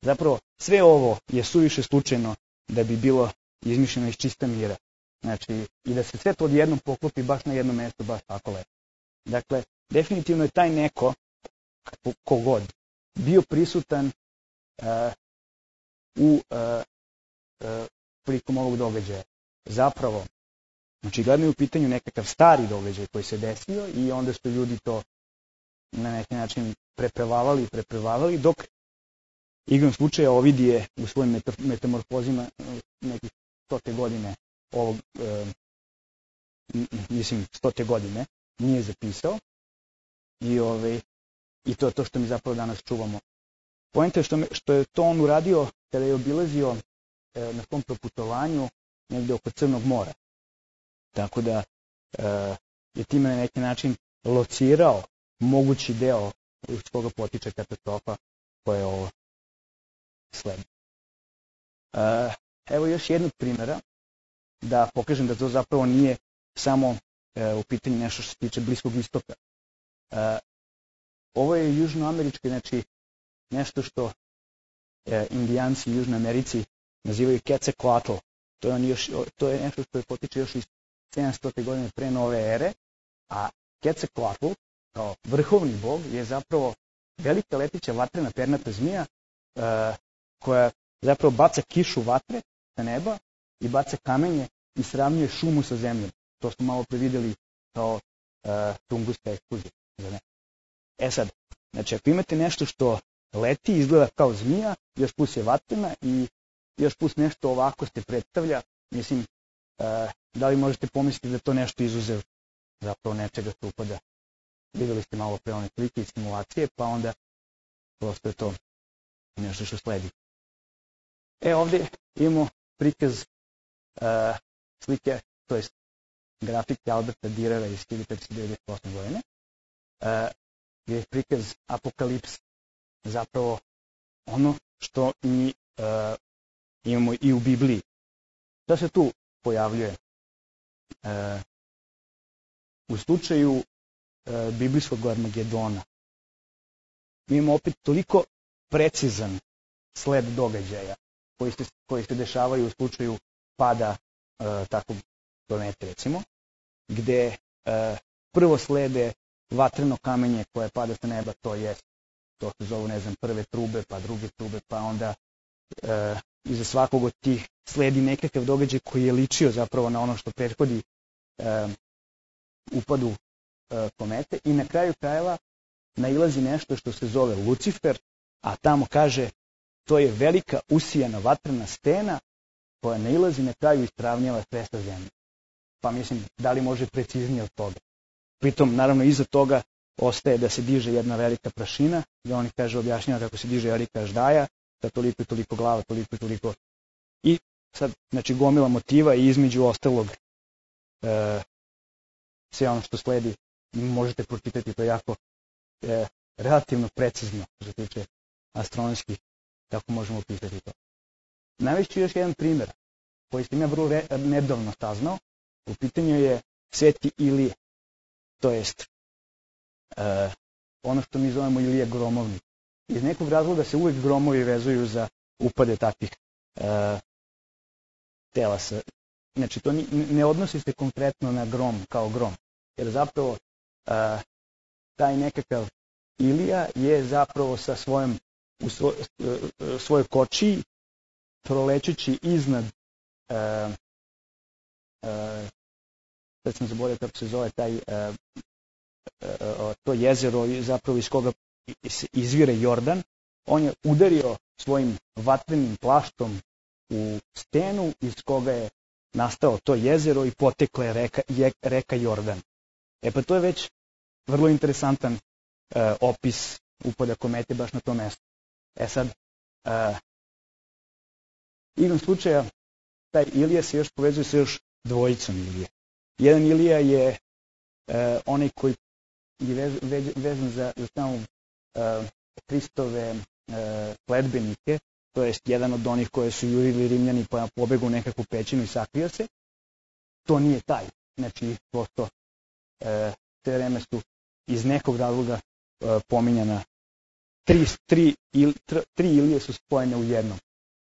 Zapravo, sve ovo je suviše slučajno da bi bilo izmišljeno iz čista mira. Znači, i da se sve to odjednom poklopi baš na jedno mjesto, baš tako lepo. Dakle, definitivno je taj neko, kogod, bio prisutan uh, u uh, uh, prilikom ovog događaja. Zapravo, znači, gledano je u pitanju nekakav stari događaj koji se desio i onda su ljudi to na neki način prepevavali i prepevavali, dok igrom slučaja Ovidije u svojim metamorfozima nekih stote godine ovog, e, mislim, stote godine nije zapisao i, ove, i to je to što mi zapravo danas čuvamo. Poenta je što, me, što je to on uradio kada je obilazio e, na svom proputovanju negdje oko Crnog mora. Tako da e, je time na neki način locirao mogući deo iz koga potiče katastrofa koja je ovo sledi. E, evo još jednog primjera da pokažem da to zapravo nije samo e, u pitanju nešto što se tiče Bliskog istoka. E, ovo je južnoamerički, znači nešto što e, indijanci u Južnoj Americi nazivaju Quetzalcoatl. To je, on još, to je nešto što je potiče još iz sedamsto godine pre nove ere, a Quetzalcoatl kao vrhovni bog je zapravo velika leteća vatrena pernata zmija e, koja zapravo baca kišu vatre sa neba i baca kamenje i sravnjuje šumu sa zemljom. To smo malo previdjeli kao uh, tunguska eksplozija. E sad, znači ako imate nešto što leti, izgleda kao zmija, još plus je vatrena i još plus nešto ovako se predstavlja, mislim, uh, da li možete pomisliti da to nešto izuzev zapravo nečega što upada. Vidjeli ste malo pre one slike i simulacije, pa onda prosto je to nešto što sledi. E ovdje imamo prikaz uh, slike, to je grafike Alberta Dürera iz hiljadu petsto devedeset osme godine, uh, gdje je prikaz apokalipse, zapravo ono što mi uh, imamo i u Bibliji. Šta se tu pojavljuje? Uh, u slučaju uh, biblijskog Armagedona mi imamo opet toliko precizan sled događaja koji se, koji se dešavaju u slučaju pada uh, takvog planete, recimo, gde uh, prvo slede vatreno kamenje koje pada sa neba, to je, to se zovu, ne znam, prve trube, pa druge trube, pa onda uh, iza svakog od tih sledi nekakav događaj koji je ličio zapravo na ono što prethodi uh, upadu uh, komete i na kraju krajeva nailazi nešto što se zove Lucifer, a tamo kaže to je velika usijana vatrena stena koja nailazi na kraju i istravnjava sve sa zemlje. Pa mislim, da li može preciznije od toga? Pritom, naravno, iza toga ostaje da se diže jedna velika prašina, gdje oni kaže, objašnjava kako se diže velika ždaja, da toliko i toliko glava, toliko i toliko. I sad, znači, gomila motiva i između ostalog e, sve ono što sledi možete pročitati, to jako e, relativno precizno što se tiče astronomskih, kako možemo opisati to. Navešću još jedan primjer koji sam ja vrlo re, nedavno saznao. U pitanju je Sveti Ilije, to jest e, ono što mi zovemo Ilija gromovnik. Iz nekog razloga se uvijek gromovi vezuju za upade takvih e, telasa. Znači, to ni, ne odnosi se konkretno na grom kao grom, jer zapravo e, taj nekakav Ilija je zapravo sa svojom, u svoj, svojoj kočiji, prolećući iznad, uh, uh, sad sam zaboravio kako se zove taj, uh, uh, to jezero zapravo iz koga izvire Jordan, on je udario svojim vatrenim plaštom u stenu iz koga je nastao to jezero i potekla je reka, je, reka Jordan. E pa to je već vrlo interesantan uh, opis upada komete baš na tom mjestu. E sad, uh, igrom slučaja, taj Ilija se još povezuje sa još dvojicom Ilije. Jedan Ilija je uh, onaj koji je vez, vez, vezan za, za samo uh, Kristove uh, sledbenike, to jest jedan od onih koje su jurili Rimljani pa pobegu u nekakvu pećinu i sakrio se. To nije taj. Znači, prosto e, te vreme su iz nekog razloga e, pominjana. Tri, tri, il, tr, tri Ilije su spojene u jednom.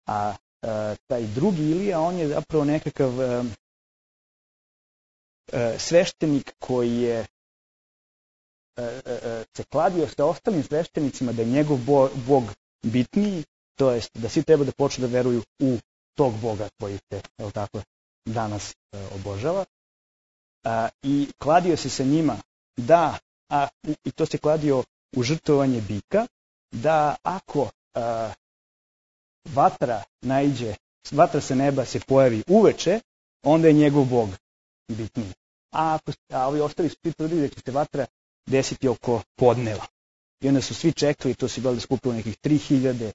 A e, taj drugi Ilija, on je zapravo nekakav e, e, sveštenik koji je e, e, se kladio sa ostalim sveštenicima da je njegov bo, bog bitniji, to jest da svi treba da počnu da veruju u tog Boga koji se, je tako, danas e, obožava. A, I kladio se sa njima da, a, i to se kladio u žrtvovanje bika, da ako a, vatra naiđe, vatra sa neba se pojavi uveče, onda je njegov Bog bitniji. A, ako, a ovi ostali su tvrdili da će se vatra desiti oko podneva. I onda su svi čekali, to se bilo skupilo nekih tri hiljade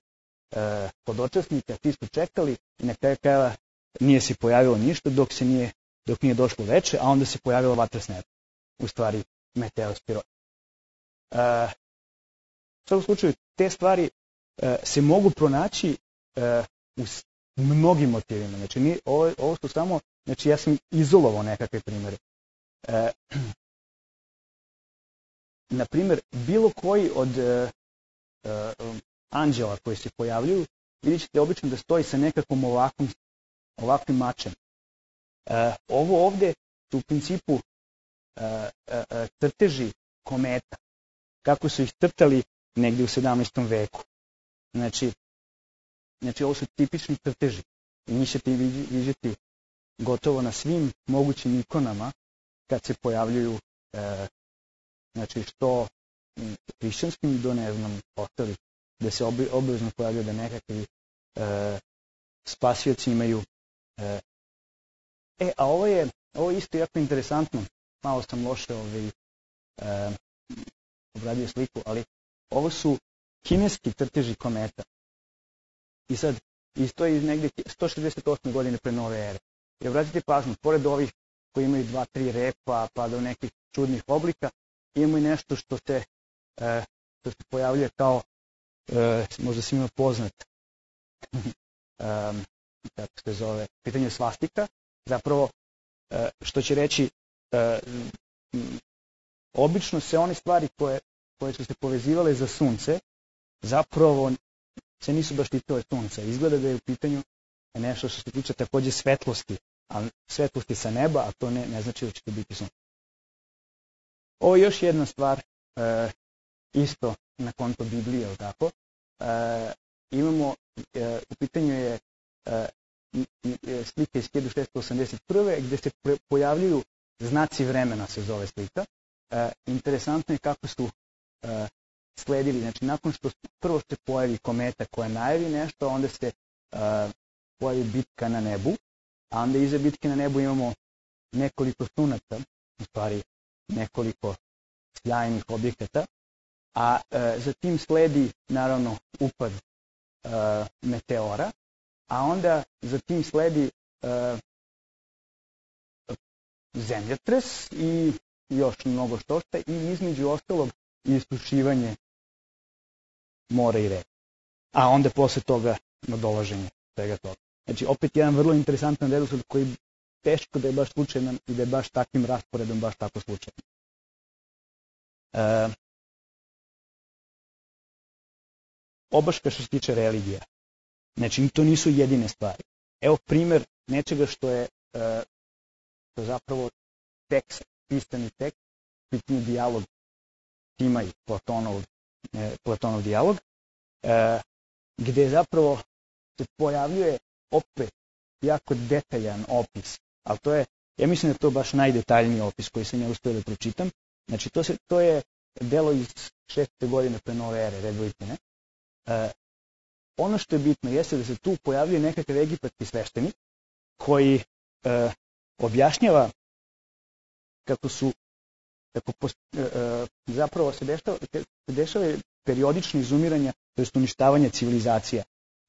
podočasnika, svi su čekali i na kraju krajeva nije se pojavilo ništa dok se nije, dok nije došlo veče, a onda se pojavila vatra s neba. U stvari meteospiroj. Uh, u svakom slučaju, te stvari uh, se mogu pronaći uh, u mnogim motivima. Znači, nije, ovo, ovo su samo, znači ja sam izolovao nekakve primjere. Uh, na primjer, bilo koji od uh, uh, anđela koji se pojavljuju, vidjet ćete obično da stoji sa nekakvom ovakvom, ovakvim mačem. E, ovo ovde su u principu e, e, crteži kometa, kako su ih crtali negdje u sedamnaestom veku. Znači, znači ovo su tipični crteži. I njih ćete vidjeti gotovo na svim mogućim ikonama kad se pojavljuju, e, znači što hrišćanskim do ne znam ostalih, da se obavezno pojavljaju da nekakvi e, spasioci imaju. E, e, a ovo je, ovo je isto jako interesantno. Malo sam loše ovaj, e, obradio sliku, ali ovo su kineski crteži kometa. I sad, isto je iz negdje sto šezdeset osme godine pre nove ere. I obratite pažnju, pored ovih koji imaju dva, tri repa, pa do nekih čudnih oblika, imamo i nešto što se, e, što se pojavljuje kao E, možda svima poznat um, kako se zove, pitanje svastika, zapravo e, što će reći e, m, obično se one stvari koje, koje su se povezivale za sunce zapravo se nisu baš titile sunca. Izgleda da je u pitanju nešto što se tiče takođe svetlosti, a svetlosti sa neba, a to ne, ne znači da će to biti sunce. Ovo je još jedna stvar e, isto na konto Biblije, ili tako. E, imamo, e, u pitanju je e, slika iz hiljadu šessto osamdeset prve gdje se pojavljuju znaci vremena, se zove slika. E, interesantno je kako su e, sledili, znači nakon što prvo se pojavi kometa koja najavi nešto, onda se e, pojavi bitka na nebu, a onda iza bitke na nebu imamo nekoliko sunaca, u stvari nekoliko sjajnih objekata, a e, zatim sledi naravno upad e, meteora, a onda zatim sledi e, zemljotres i još mnogo što šta i između ostalog isušivanje mora i reke. A onda posle toga nadolaženje svega toga. Znači opet jedan vrlo interesantan redosled koji teško da je baš slučajan i da je baš takvim rasporedom baš tako slučajan. E, obaška što se tiče religija. Znači to nisu jedine stvari. Evo primjer nečega što je e, što zapravo tekst, pisani tekst, pitanje dijalog Timaj, Platonov, e, Platonov dijalog, e, gde zapravo se pojavljuje opet jako detaljan opis, ali to je, ja mislim da je to baš najdetaljniji opis koji sam ja uspio da pročitam. Znači, to, se, to je delo iz šeste godine pre nove ere, red Litine. E, ono što je bitno jeste da se tu pojavljuje nekakav egipatski sveštenik koji e, objašnjava kako su, kako post, e, zapravo se dešava, se dešava periodično izumiranja, to je uništavanje civilizacija.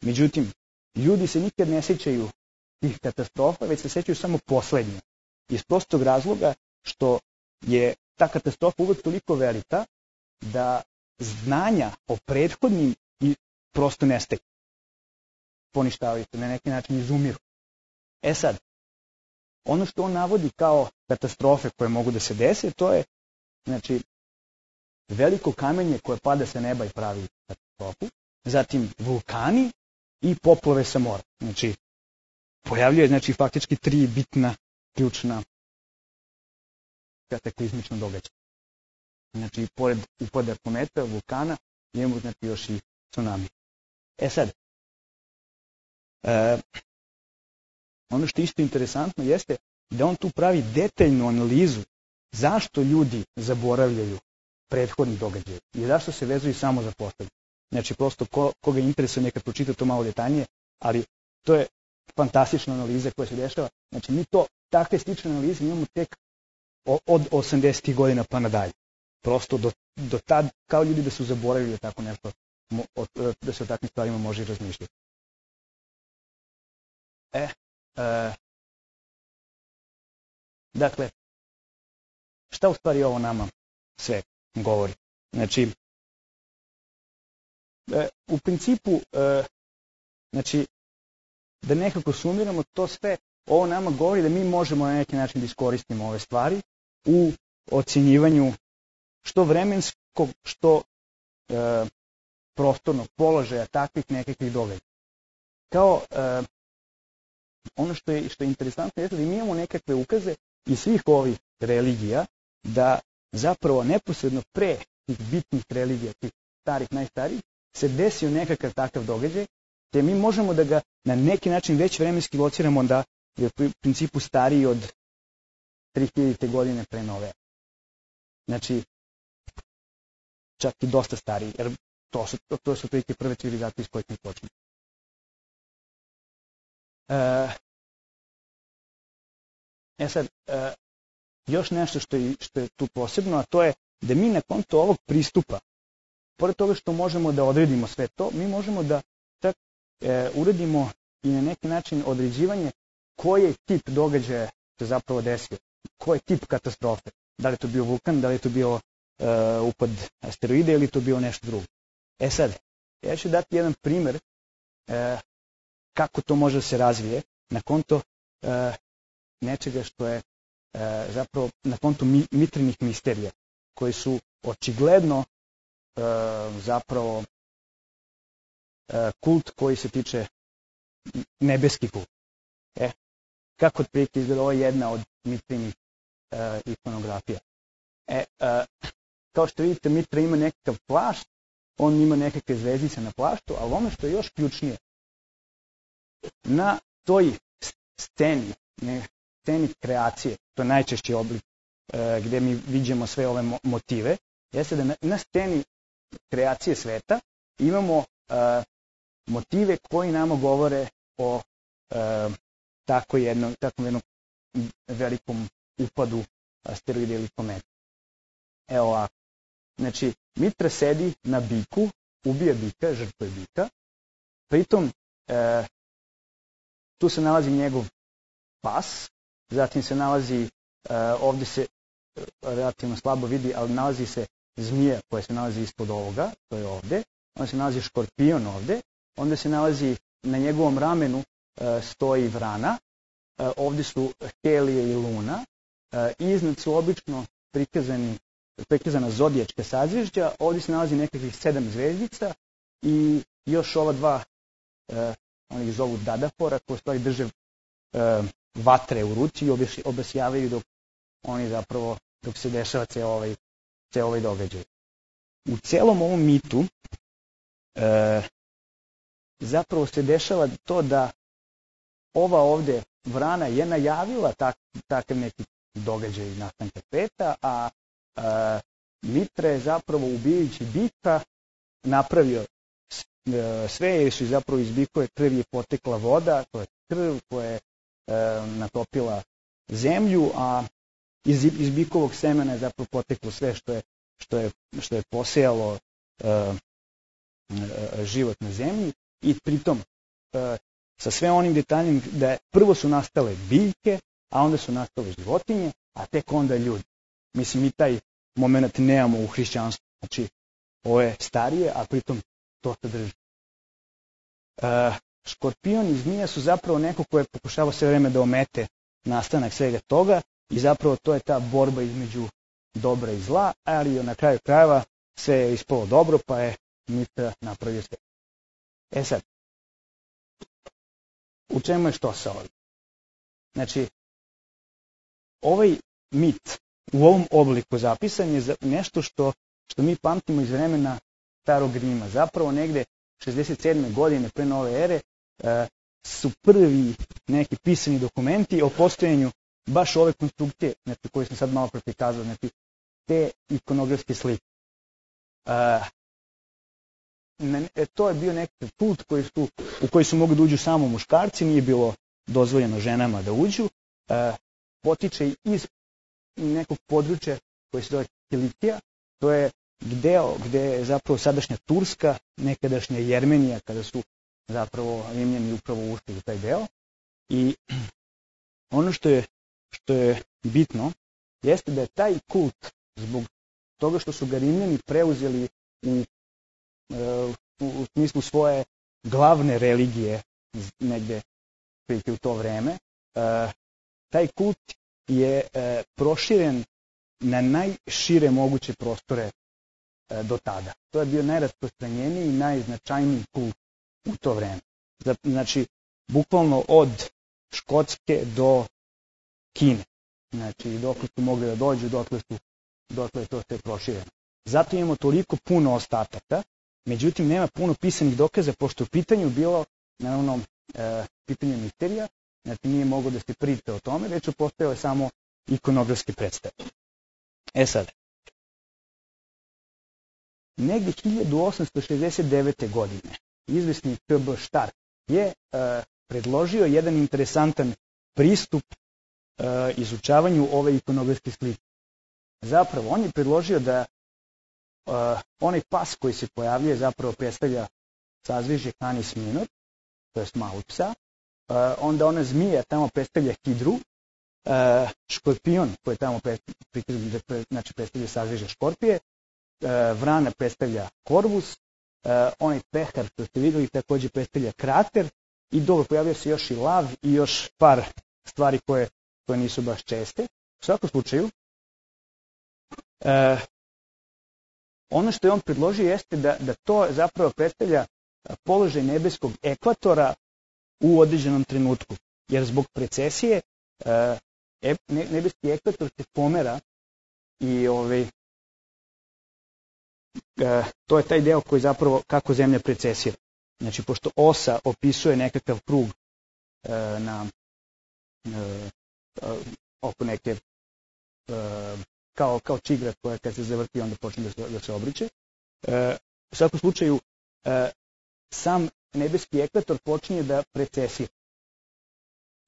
Međutim, ljudi se nikad ne sećaju tih katastrofa, već se sećaju samo poslednje. Iz prostog razloga što je ta katastrofa uvek toliko velika da znanja o prethodnim i prosto nestaju. Poništavaju se, na neki način izumiru. E sad, ono što on navodi kao katastrofe koje mogu da se dese, to je, znači, veliko kamenje koje pada sa neba i pravi katastrofu, zatim vulkani i poplave sa mora. Znači, pojavljuje, znači, faktički tri bitna, ključna kataklizmična događaja. Znači, pored upada kometa, vulkana, imamo, znači, još i tsunami. E sad, e, ono što je isto interesantno jeste da on tu pravi detaljnu analizu zašto ljudi zaboravljaju prethodni događaj i zašto se vezuju samo za poslednje. Znači, prosto ko, koga interesuje neka pročita to malo detaljnije, ali to je fantastična analiza koja se dešava. Znači, mi to, takve slične analize imamo tek od osamdesetih godina pa nadalje. Prosto do, do tad, kao ljudi da su zaboravili tako nešto, da se o takvim stvarima može i razmišljati. E, e, dakle, šta u stvari ovo nama sve govori? Znači, e, u principu, e, znači, da nekako sumiramo to sve, ovo nama govori da mi možemo na neki način da iskoristimo ove stvari u ocjenjivanju što vremenskog, što e, prostornog položaja takvih nekakvih događaja. Kao e, ono što je, što je interesantno je da mi imamo nekakve ukaze iz svih ovih religija da zapravo neposredno pre tih bitnih religija, tih starih, najstarijih, se desio nekakav takav događaj, te mi možemo da ga na neki način već vremenski lociramo da je u principu stariji od tri hiljade godine pre nove. Znači, čak i dosta stariji, jer to su, to, to su prilike prve civilizacije iz kojih mi počnemo. E, e sad, e, još nešto što je, što je tu posebno, a to je da mi na konto ovog pristupa, pored toga što možemo da odredimo sve to, mi možemo da čak e, uredimo i na neki način određivanje koji je tip događaja se zapravo desio, koji je tip katastrofe. Da li je to bio vulkan, da li je to bio e, upad asteroide ili to bio nešto drugo. E sad, ja ću dati jedan primer e, kako to može da se razvije na konto e, nečega što je e, zapravo na konto mi, mitrinih misterija, koji su očigledno e, zapravo e, kult koji se tiče nebeski kult. E, kako otprilike izgleda, ovo je jedna od mitrinih e, ikonografija. E, e, kao što vidite, Mitra ima nekakav plašt, on ima nekakve zvezdice na plaštu, ali ono što je još ključnije, na toj sceni, ne, sceni kreacije, to je najčešći oblik e, gde mi vidimo sve ove motive, jeste da na, na sceni kreacije sveta imamo e, motive koji nama govore o e, tako jednom, tako jednom velikom upadu asteroida ili kometa. Evo ovako. Znači, Mitra sedi na biku, ubija bika, žrtvuje bika, pritom e, tu se nalazi njegov pas, zatim se nalazi, e, ovde se relativno slabo vidi, ali nalazi se zmija koja se nalazi ispod ovoga, to je ovde, onda se nalazi škorpion ovde, onda se nalazi na njegovom ramenu e, stoji vrana, e, ovde su Helije i Luna, e, iznad su obično prikazani prikazana zodijačka sazvežđa, ovdje se nalazi nekakvih sedam zvezdica i još ova dva, e, oni ih zovu Dadafora, koji stvari drže e, vatre u ruci i obasjavaju dok oni zapravo, dok se dešava ceo ovaj, ceo ovaj događaj. u celom ovom mitu e, zapravo se dešava to da ova ovde vrana je najavila tak, takav neki događaj nastanka sveta, a e, Mitra je zapravo ubijajući bika napravio sve, jer su zapravo iz bikove krvi je potekla voda, to je krv koja je e, natopila zemlju, a iz, iz bikovog semena je zapravo poteklo sve što je, što je, što je posejalo e, e, život na zemlji i pritom e, sa sve onim detaljem da je, prvo su nastale biljke, a onda su nastale životinje, a tek onda ljudi. Mislim, mi taj moment nemamo u hrišćanstvu. Znači, ovo je starije, a pritom to se drži. E, škorpion i zmija su zapravo neko koje pokušava sve vreme da omete nastanak svega toga i zapravo to je ta borba između dobra i zla, ali na kraju krajeva sve je ispalo dobro, pa je Mitra napravio sve. E sad, u čemu je što sa ovim? Znači, ovaj mit u ovom obliku zapisan je nešto što, što mi pamtimo iz vremena Starog Rima. Zapravo negde šezdeset sedme godine pre nove ere e, su prvi neki pisani dokumenti o postojanju baš ove konstrukcije, znači, koje sam sad malo prikazao, znači te ikonografske slike. E, ne, to je bio neki kult koji su, u koji su mogli da uđu samo muškarci, nije bilo dozvoljeno ženama da uđu. E, potiče iz nekog područja koje se zove Kilikija, to je deo gde je zapravo sadašnja Turska, nekadašnja Jermenija, kada su zapravo Rimljani upravo ušli u taj deo. I ono što je, što je bitno jeste da je taj kult, zbog toga što su ga Rimljani preuzeli u, u, u smislu svoje glavne religije negde u to vreme, taj kult je proširen na najšire moguće prostore do tada. To je bio najrasprostranjeniji i najznačajniji kult u to vreme. Znači, bukvalno od Škotske do Kine. Znači, dokle su mogli da dođu, dokle, su, dokle je to sve prošireno. Zato imamo toliko puno ostataka, međutim, nema puno pisanih dokaza, pošto u pitanju bilo, naravno, e, pitanje misterija, znači nije moglo da se priča o tome, već su postojale samo ikonografske predstave. E sad, negdje hiljadu osamsto šezdeset devete. godine izvesni K B Stark je e, predložio jedan interesantan pristup e, izučavanju ove ikonografske slike. Zapravo, on je predložio da e, onaj pas koji se pojavljuje zapravo predstavlja sazvežje Canis Minor, to je malog psa, e, onda ona zmija tamo predstavlja Hidru, e, škorpion koji tamo predstavlja, znači predstavlja sazvežje Škorpije, vrana predstavlja Korvus, onaj pehar što ste vidjeli takođe predstavlja Krater i dobro pojavio se još i lav i još par stvari koje, koje nisu baš česte. U svakom slučaju, eh, ono što je on predložio jeste da, da to zapravo predstavlja položaj nebeskog ekvatora u određenom trenutku. Jer zbog precesije eh, nebeski ekvator se pomera i ovaj, to je taj deo koji zapravo kako Zemlja precesira. Znači, pošto osa opisuje nekakav krug e, na e, oko neke e, kao, kao čigra koja kad se zavrti onda počne da se, da se obriče. E, u svakom slučaju e, sam nebeski ekvator počinje da precesira.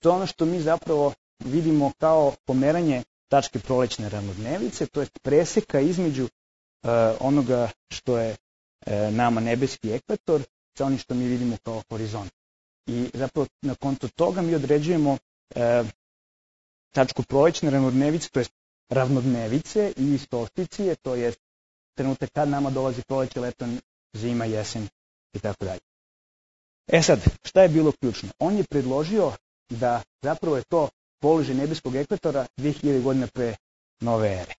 To je ono što mi zapravo vidimo kao pomeranje tačke prolećne ravnodnevice, to je preseka između Uh, onoga što je uh, nama nebeski ekvator sa onim što mi vidimo kao horizont. I zapravo na konto toga mi određujemo uh, tačku prolećne ravnodnevice, to je ravnodnevice i solsticije, to je trenutak kad nama dolazi proleće, leto, zima, jesen i tako dalje. E sad, šta je bilo ključno? On je predložio da zapravo je to položaj nebeskog ekvatora dve hiljade godina pre nove ere.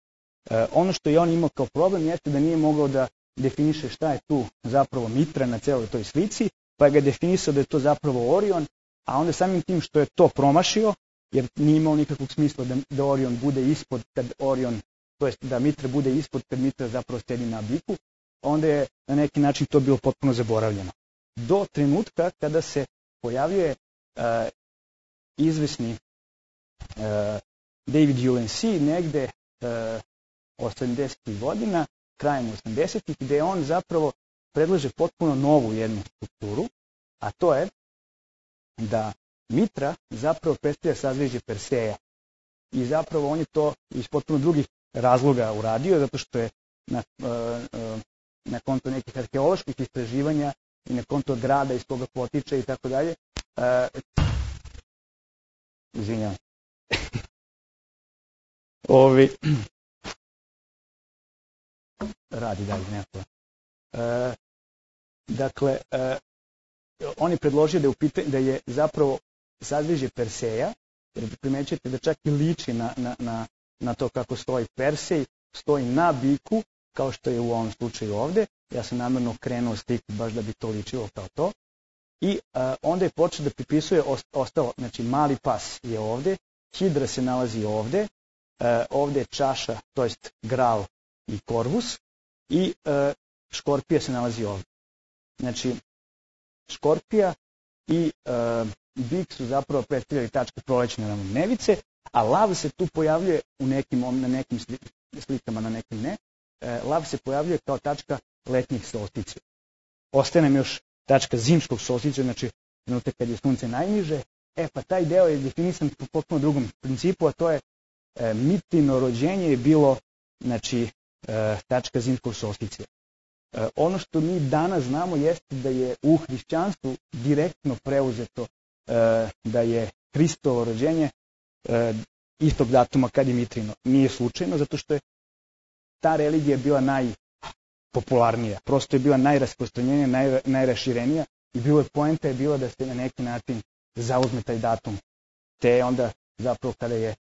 E, ono što je on imao kao problem jeste da nije mogao da definiše šta je tu zapravo Mitra na celoj toj slici, pa je ga definisao da je to zapravo Orion, a onda samim tim što je to promašio, jer nije imao nikakvog smisla da, da Orion bude ispod kad Orion, to jest da Mitra bude ispod kad Mitra zapravo sedi na biku, onda je na neki način to bilo potpuno zaboravljeno. Do trenutka kada se pojavljuje uh, izvesni uh, David Ulansey negde uh, osamdesetih godina, krajem osamdesetih, gde on zapravo predlaže potpuno novu jednu strukturu, a to je da mitra zapravo predstavlja sazvežđe Perseja. I zapravo on je to iz potpuno drugih razloga uradio, zato što je na, na konto nekih arheoloških istraživanja i na konto grada iz koga potiče i tako dalje. Izvinjavam. Ovi... Radi dalje, neko. E, dakle, e, on je predložio da je, upita, da je zapravo sazvežđe Perseja, jer primećujete da čak i liči na, na, na, na to kako stoji Persej, stoji na biku, kao što je u ovom slučaju ovde. Ja sam namjerno krenuo sliku baš da bi to ličilo kao to. I a, onda je počeo da pripisuje ostalo, znači mali pas je ovde, hidra se nalazi ovde, a, ovde je čaša, to jest gral i korvus, i a, škorpija se nalazi ovde. Znači, škorpija i a, bik su zapravo predstavljali tačke prolećne ravnodnevice, a lav se tu pojavljuje u nekim, na nekim slikama, na nekim ne. E, lav se pojavljuje kao tačka letnjih solsticija. Ostaje nam još tačka zimskog solsticija, znači trenutak kad je sunce najniže. E pa taj deo je definisan po potpuno drugom principu, a to je e, mitino rođenje je bilo, znači, e, tačka zimskog solsticija. E, ono što mi danas znamo jeste da je u hrišćanstvu direktno preuzeto e, da je Hristovo rođenje e, istog datuma kad je mitrino. Nije slučajno, zato što je ta religija bila najpopularnija, prosto je bila najrasprostranjenija, naj, najraširenija i bilo je poenta je bila da se na neki način zauzme taj datum. Te onda zapravo kada je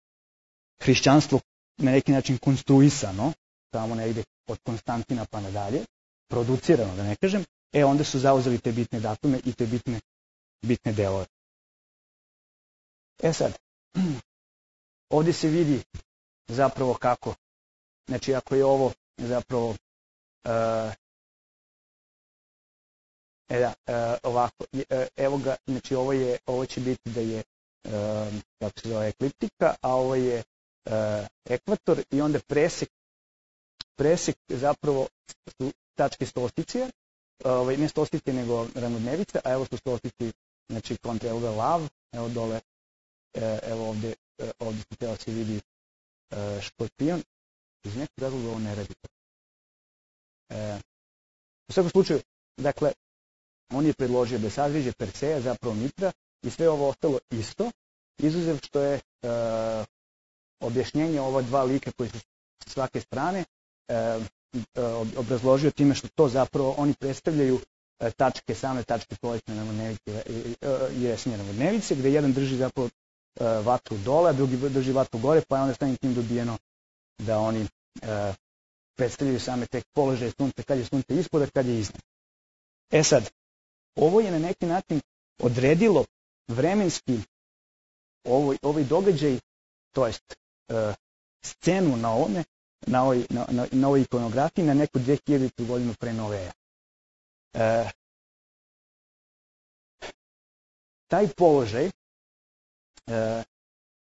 hrišćanstvo na neki način konstruisano, tamo negde od Konstantina pa nadalje, producirano da ne kažem, e onda su zauzeli te bitne datume i te bitne, bitne delove. E sad, ovdje se vidi zapravo kako, znači ako je ovo zapravo, uh, e da, uh, ovako, uh, evo ga, znači ovo, je, ovo će biti da je, uh, kako se zove, ekliptika, a ovo je uh, ekvator i onda presek, presek zapravo su tačke solsticije, uh, ne solsticije nego ravnodnevice, a evo su solstici, znači kontra, evo ga lav, evo dole, uh, evo ovdje, uh, ovdje se tela se vidi uh, škorpion. Iz nekog razloga ovo ne radi. E, u svakom slučaju, dakle, on je predložio da sazvežđe Perseja, zapravo mitra, i sve ovo ostalo isto, izuzev što je e, objašnjenje ova dva lika koji su s svake strane e, obrazložio time što to zapravo oni predstavljaju e, tačke, same tačke prolećne ravnodnevice i jesenje ravnodnevice, gde jedan drži zapravo e, vatru dole, a drugi drži vatru gore, pa je onda samim tim dobijeno da oni e, predstavljaju same te položaje sunca, kad je sunce ispod, a kad je iznad. E sad, ovo je na neki način odredilo vremenski ovoj, ovaj događaj, to jest e, scenu na ovome, na ovoj, na, na, na ovoj ikonografiji na neku dve hiljadite godinu pre nove ere. E, taj položaj e,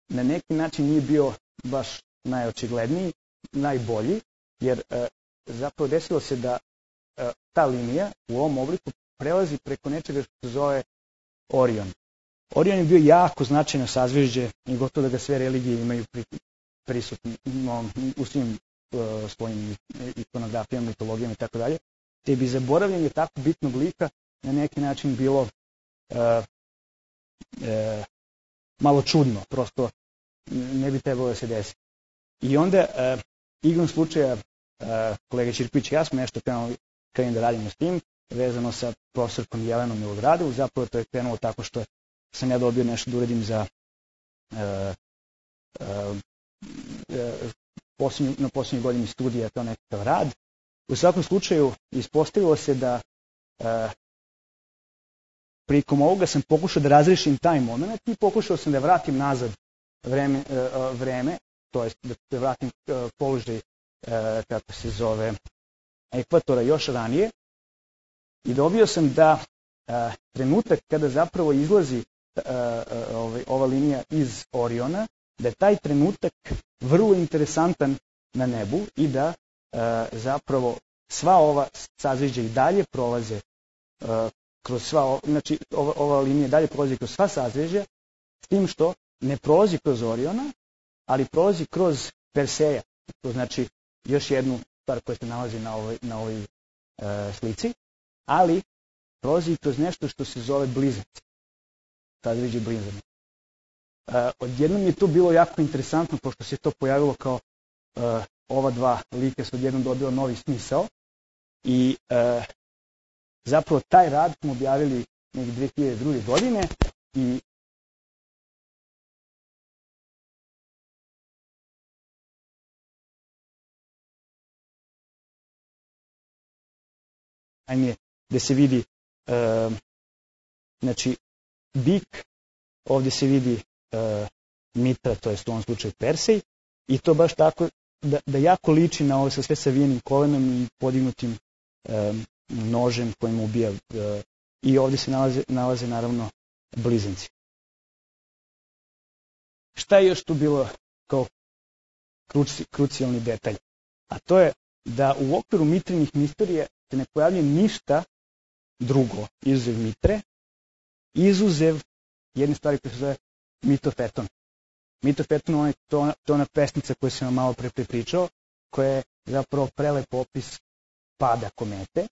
na neki način nije bio baš najočigledniji, najbolji, jer e, zapravo desilo se da e, ta linija u ovom obliku prelazi preko nečega što se zove Orion. Orion je bio jako značajno sazvežđe i gotovo da ga sve religije imaju pri, prisutno u svim e, svojim ikonografijama, mitologijama i tako dalje. Te bi zaboravljanje tako bitnog lika na neki način bilo e, e, malo čudno, prosto ne bi trebalo da se desi. I onda, uh, igrom slučaja, uh, kolega Ćirković i ja smo nešto krenuli da radimo s tim, vezano sa profesorkom Jelenom Milogradov, zapravo to je krenulo tako što sam ja dobio nešto da uradim za uh, uh, uh, posljednju, na posljednjoj godini studija kao nekakav rad. U svakom slučaju ispostavilo se da uh, prilikom ovoga sam pokušao da razrešim taj moment i pokušao sam da vratim nazad vreme, uh, vreme to jest da se vratim uh, položaj, uh, kako se zove, ekvatora još ranije i dobio sam da a, trenutak kada zapravo izlazi a, a, ovaj, ova linija iz Oriona, da je taj trenutak vrlo interesantan na nebu i da a, zapravo sva ova sazvežđa i dalje prolaze a, kroz sva, znači ova, ova linija dalje prolazi kroz sva sazvežđa, s tim što ne prolazi kroz Oriona, ali prolazi kroz Perseja. To znači još jednu stvar koja se nalazi na ovoj, na ovoj e, slici, ali prolazi kroz nešto što se zove blizanci. Sazvežđe blizanci. E, odjednom je to bilo jako interesantno, pošto se to pojavilo kao e, ova dva lika su odjednom dobila novi smisao i e, zapravo taj rad smo objavili negdje dve hiljade druge. godine i ajme, gde se vidi e, znači bik, ovdje se vidi e, Mitra, to je u ovom slučaju Persej, i to baš tako da, da jako liči na ovo sa sve savijenim kolenom i podignutim e, nožem kojim ubija. E, I ovdje se nalaze, nalaze naravno blizanci. Šta je još tu bilo kao kruci, krucijalni detalj? A to je da u okviru Mitrinih misterija se ne pojavlja ništa drugo izuzev Mitre, izuzev jedne stvari koja se zove mitofeton. Mitofeton je to, to ona pesnica koju sam vam malo pre prepričao, koja je zapravo prelep opis pada komete.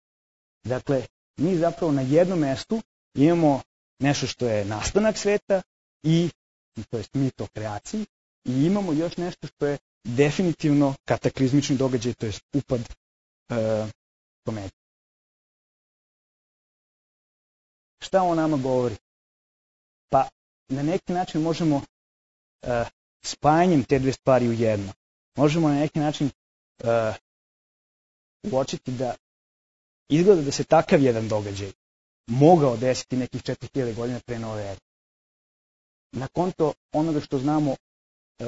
Dakle, mi zapravo na jednom mestu imamo nešto što je nastanak sveta i, to jest mit o kreaciji, i imamo još nešto što je definitivno kataklizmični događaj, to jest upad e, komete. Šta on nama govori? Pa na neki način možemo e, spajanjem te dve stvari u jedno. Možemo na neki način e, uočiti da izgleda da se takav jedan događaj mogao desiti nekih četiri hiljade godina pre nove ere. Na konto onoga što znamo e,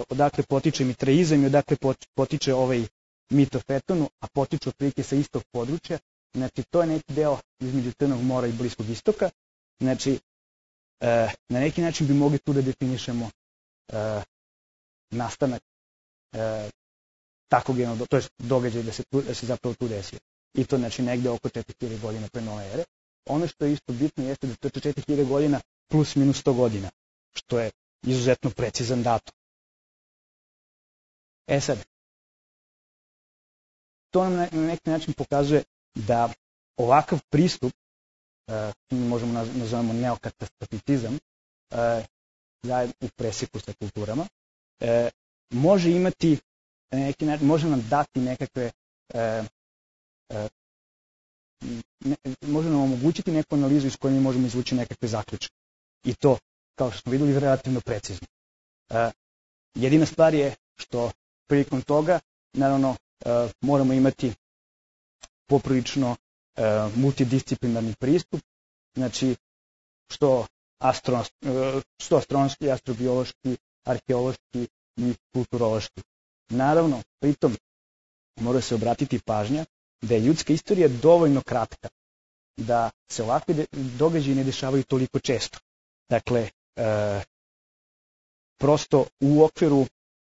odakle potiče mitreizam i odakle potiče ovaj mit o Fetonu, a potiče otprilike sa istog područja, znači to je neki deo između Crnog mora i Bliskog istoka. Znači, e, na neki način bi mogli tu da definišemo e, nastanak e, takvog jednog, to je događaj da se, tu, da se zapravo tu desio. I to znači negde oko četiri hiljade godina pre nove ere. Ono što je isto bitno jeste da to je četiri hiljade godina plus minus sto godina, što je izuzetno precizan datum. E sad, to nam na neki način pokazuje da ovakav pristup, mi možemo nazovemo neokatastrofizam, u preseku sa kulturama, može imati, neki način, može nam dati nekakve, može nam omogućiti neku analizu iz koje mi možemo izvući nekakve zaključke. I to, kao što smo videli, relativno precizno. Jedina stvar je što prilikom toga, naravno, moramo imati poprilično multidisciplinarni pristup, znači što, astro, što astronomski, astrobiološki, arheološki i kulturološki. Naravno, pritom mora se obratiti pažnja da je ljudska istorija dovoljno kratka, da se ovakvi događaji ne dešavaju toliko često. Dakle, e, prosto u okviru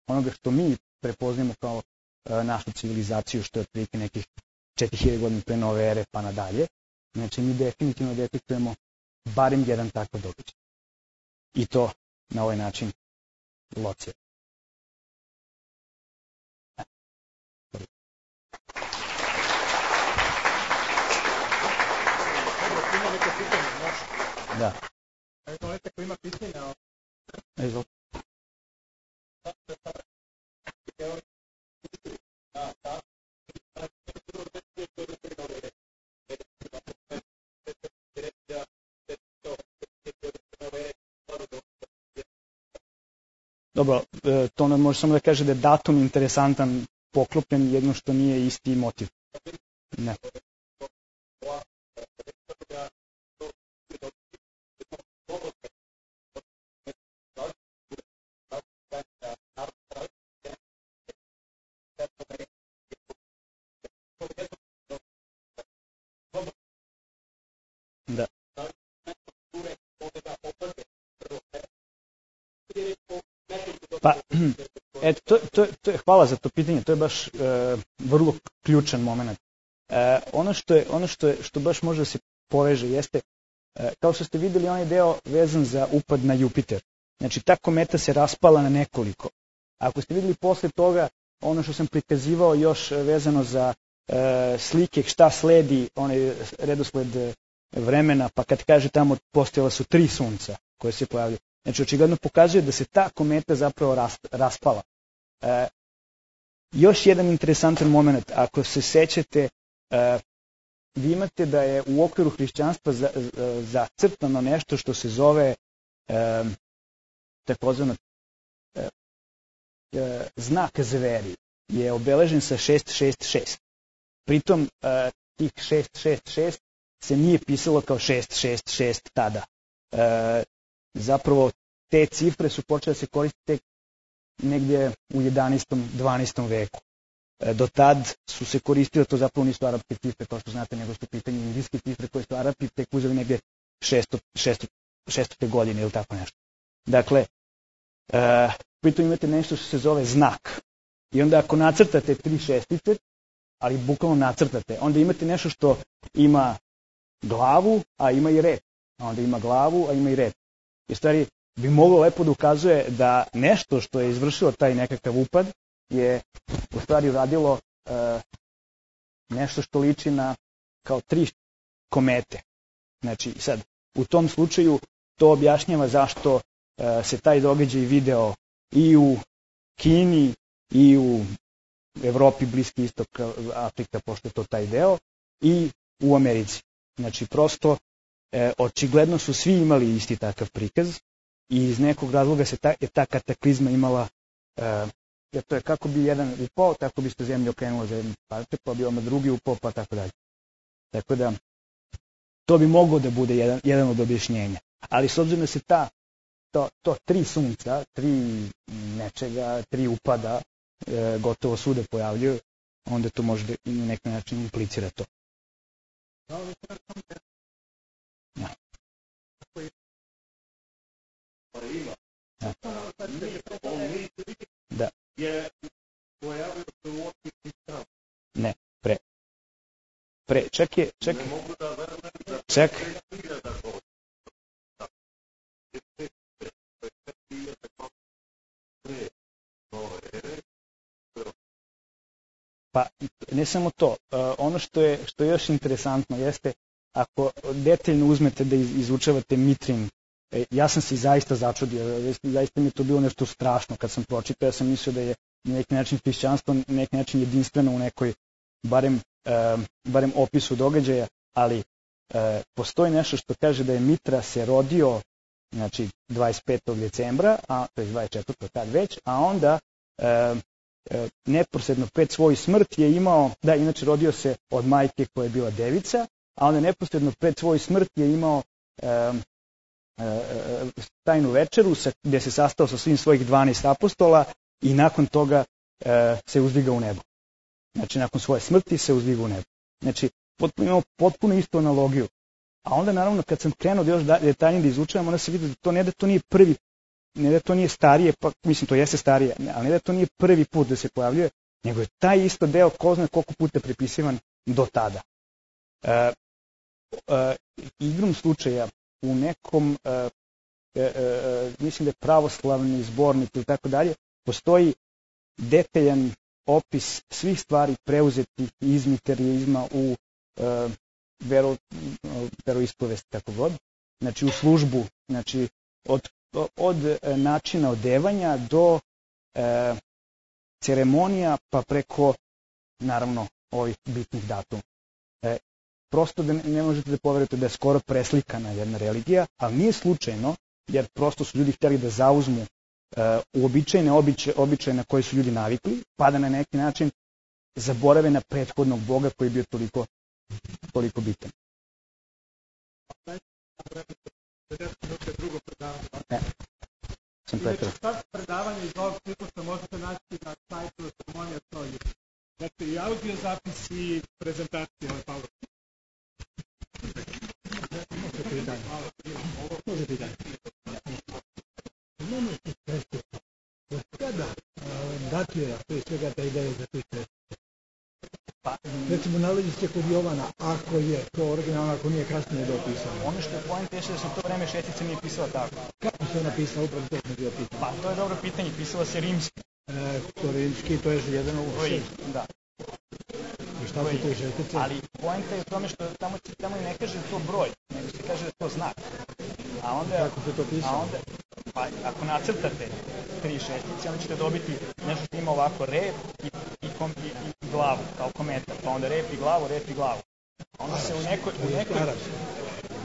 onoga što mi prepoznajemo kao e, našu civilizaciju, što je otprilike nekih četiri hiljade godina pre nove ere pa nadalje, znači mi definitivno detektujemo barem jedan takav događaj. I to na ovaj način locija. Da. Evo neko ko ima pitanja. Evo. Dobro, to nam može samo da kaže da je datum interesantan, poklopljen, jedno što nije isti motiv. Ne. Pa, eto, to, to, to je, hvala za to pitanje, to je baš e, vrlo ključan moment. E, ono što je, ono što je, što baš može da se poveže jeste, e, kao što ste videli, onaj deo vezan za upad na Jupiter. Znači, ta kometa se raspala na nekoliko. Ako ste videli posle toga, ono što sam prikazivao još vezano za e, slike, šta sledi, onaj redosled vremena, pa kad kaže tamo postojala su tri sunca koje se pojavljaju. Znači, očigledno pokazuje da se ta kometa zapravo raspala. E, još jedan interesantan moment, ako se sećate, e, vi imate da je u okviru hrišćanstva za, za, zacrtano nešto što se zove e, takozvano e, e, znak zveri, je obeležen sa šest šest šest. Pritom, e, tih šest šest šest se nije pisalo kao šest šest šest tada. E, zapravo, te cifre su počele da se koristiti negdje u jedanaestom dvanaestom veku. E, do tad su se koristile, to zapravo nisu arapske cifre, kao što znate, nego su pitanje indijske cifre koje su Arapi tek uzeli negdje šestote godine ili tako nešto. Dakle, e, pritom imate nešto što se zove znak. I onda ako nacrtate tri šestice, ali bukvalno nacrtate, onda imate nešto što ima glavu, a ima i rep. A onda ima glavu, a ima i rep. I stvari bi moglo lepo da ukazuje da nešto što je izvršilo taj nekakav upad je u stvari uradilo e, nešto što liči na kao tri komete. Znači sad, u tom slučaju to objašnjava zašto e, se taj događaj video i u Kini i u Evropi, Bliski istok, Afrika, pošto je to taj deo, i u Americi. Znači prosto, e, očigledno su svi imali isti takav prikaz i iz nekog razloga se ta, je ta kataklizma imala, e, jer to je kako bi jedan upao, tako bi se zemlja okrenula za jednu parte, pa bi oma drugi upao, pa tako dalje. Tako da, to bi moglo da bude jedan, jedan od objašnjenja. Ali s obzirom da se ta, to, to tri sunca, tri nečega, tri upada, e, gotovo svuda pojavljuju, onda to može da na neki način implicira to. Ja. Da. Ne, pre. Pre, čak je, čak, čak. Pa, ne samo to, ono što je, što je još interesantno jeste, ako detaljno uzmete da izučavate Mitrin, ja sam se zaista začudio, zaista mi je to bilo nešto strašno kad sam pročitao, ja sam mislio da je na neki način hrišćanstvo na neki način jedinstveno u nekoj, barem, barem opisu događaja, ali postoji nešto što kaže da je Mitra se rodio, znači dvadeset petog decembra, a, to je dvadeset četvrtog tad već, a onda neposredno pred svoju smrt je imao, da, inače rodio se od majke koja je bila devica, a onda neposredno pred svoju smrt je imao e, e, tajnu večeru sa, gdje se sastao sa svim svojih dvanaest apostola i nakon toga e, se uzdigao u nebo. Znači, nakon svoje smrti se uzdigao u nebo. Znači, potpuno, imamo potpuno istu analogiju. A onda, naravno, kad sam krenuo da još detaljnije da izučavam, onda se vidi da to ne da to nije prvi, ne da to nije starije, pa mislim, to jeste starije, ali ne da to nije prvi put da se pojavljuje, nego je taj isto deo ko zna koliko puta prepisivan do tada. E, e, igrom slučaja u nekom, e, e, e, mislim da je pravoslavni zbornik ili tako dalje, postoji detaljan opis svih stvari preuzetih iz miterijizma u e, vero, veroispovest, tako god, znači u službu, znači od, od načina odevanja do e, ceremonija pa preko, naravno, ovih bitnih datuma. E, prosto da ne, ne možete da poverujete da je skoro preslikana jedna religija, ali nije slučajno, jer prosto su ljudi htjeli da zauzmu e, uobičajene običaje, običaje na koje su ljudi navikli, pa da na neki način zaborave na prethodnog Boga koji je bio toliko, toliko bitan. Ne, sam pretredno. Znači, predavanje iz ovog ciklusa možete naći na sajtu Ceremonija Solju. Znači, i audio zapis i prezentacije. Paolo. Može pitanje. Može pitanje. blokira, prije svega ta ideja za tri šestice? Pa, Recimo, nalazi se kod Jovana, ako je to originalno, ako nije kasnije dopisano. ono što je point je da se u to vreme šestica nije pisala tako. Kako se ona pisala, upravo to smo bio pitanje? Pa to je dobro pitanje, pisala se rimski. E, to rimski, to je jedan ovo Koji, šest. da. I šta su tri šestice? Ali poenta je u tome što tamo, tamo i ne kaže to broj, nego se kaže da to znak. A onda, Kako se to pisalo? a onda, pa ako nacrtate tri šestice, onda ćete dobiti nešto što ima ovako rep i, i, kom, i, i glavu, kao komentar. Pa onda rep i glavu, rep i glavu. A onda se u nekoj... U nekoj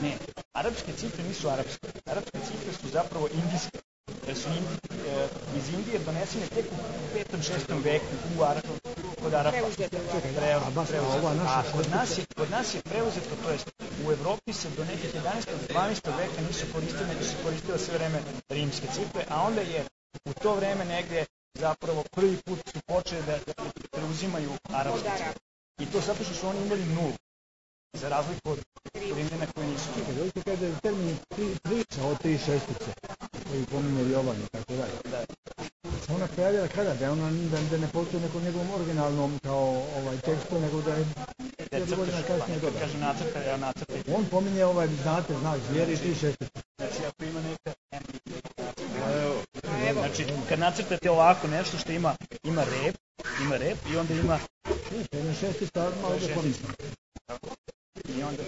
ne, arapske cifre nisu arapske. Arapske cifre su zapravo indijske. Jer su indi, e, iz Indije donesene tek u petom šestom veku u Arabu, kod Arapa. A kod nas je, kod nas je preuzeto, to jest u Evropi se do nekih jedanaestog dvanaestog veka nisu koristile, nego su koristile sve vreme rimske cifre, a onda je u to vreme negdje zapravo prvi put su počeli da, da preuzimaju arapske cifre. I to zato što su oni imali nulu. Za razliku od Rimljana koji nisu. Čekaj, dojte kada je termin priča o tri šestice, koji pominje Jovan i tako dalje. Da. Ona pojavila kada? Da, ona, da, da ne postoji nekom njegovom originalnom kao ovaj tekstu, nego da je jednu godina kasnije doda. doda. Kaže nacrta, ja nacrta. On pominje ovaj, znate, znak zvijeri i tri šestice. Znači, ako ima neka... Znači, kad nacrtate ovako nešto što ima, ima rep, ima rep i onda ima... Jedna šestica, malo da pomislim. I onda...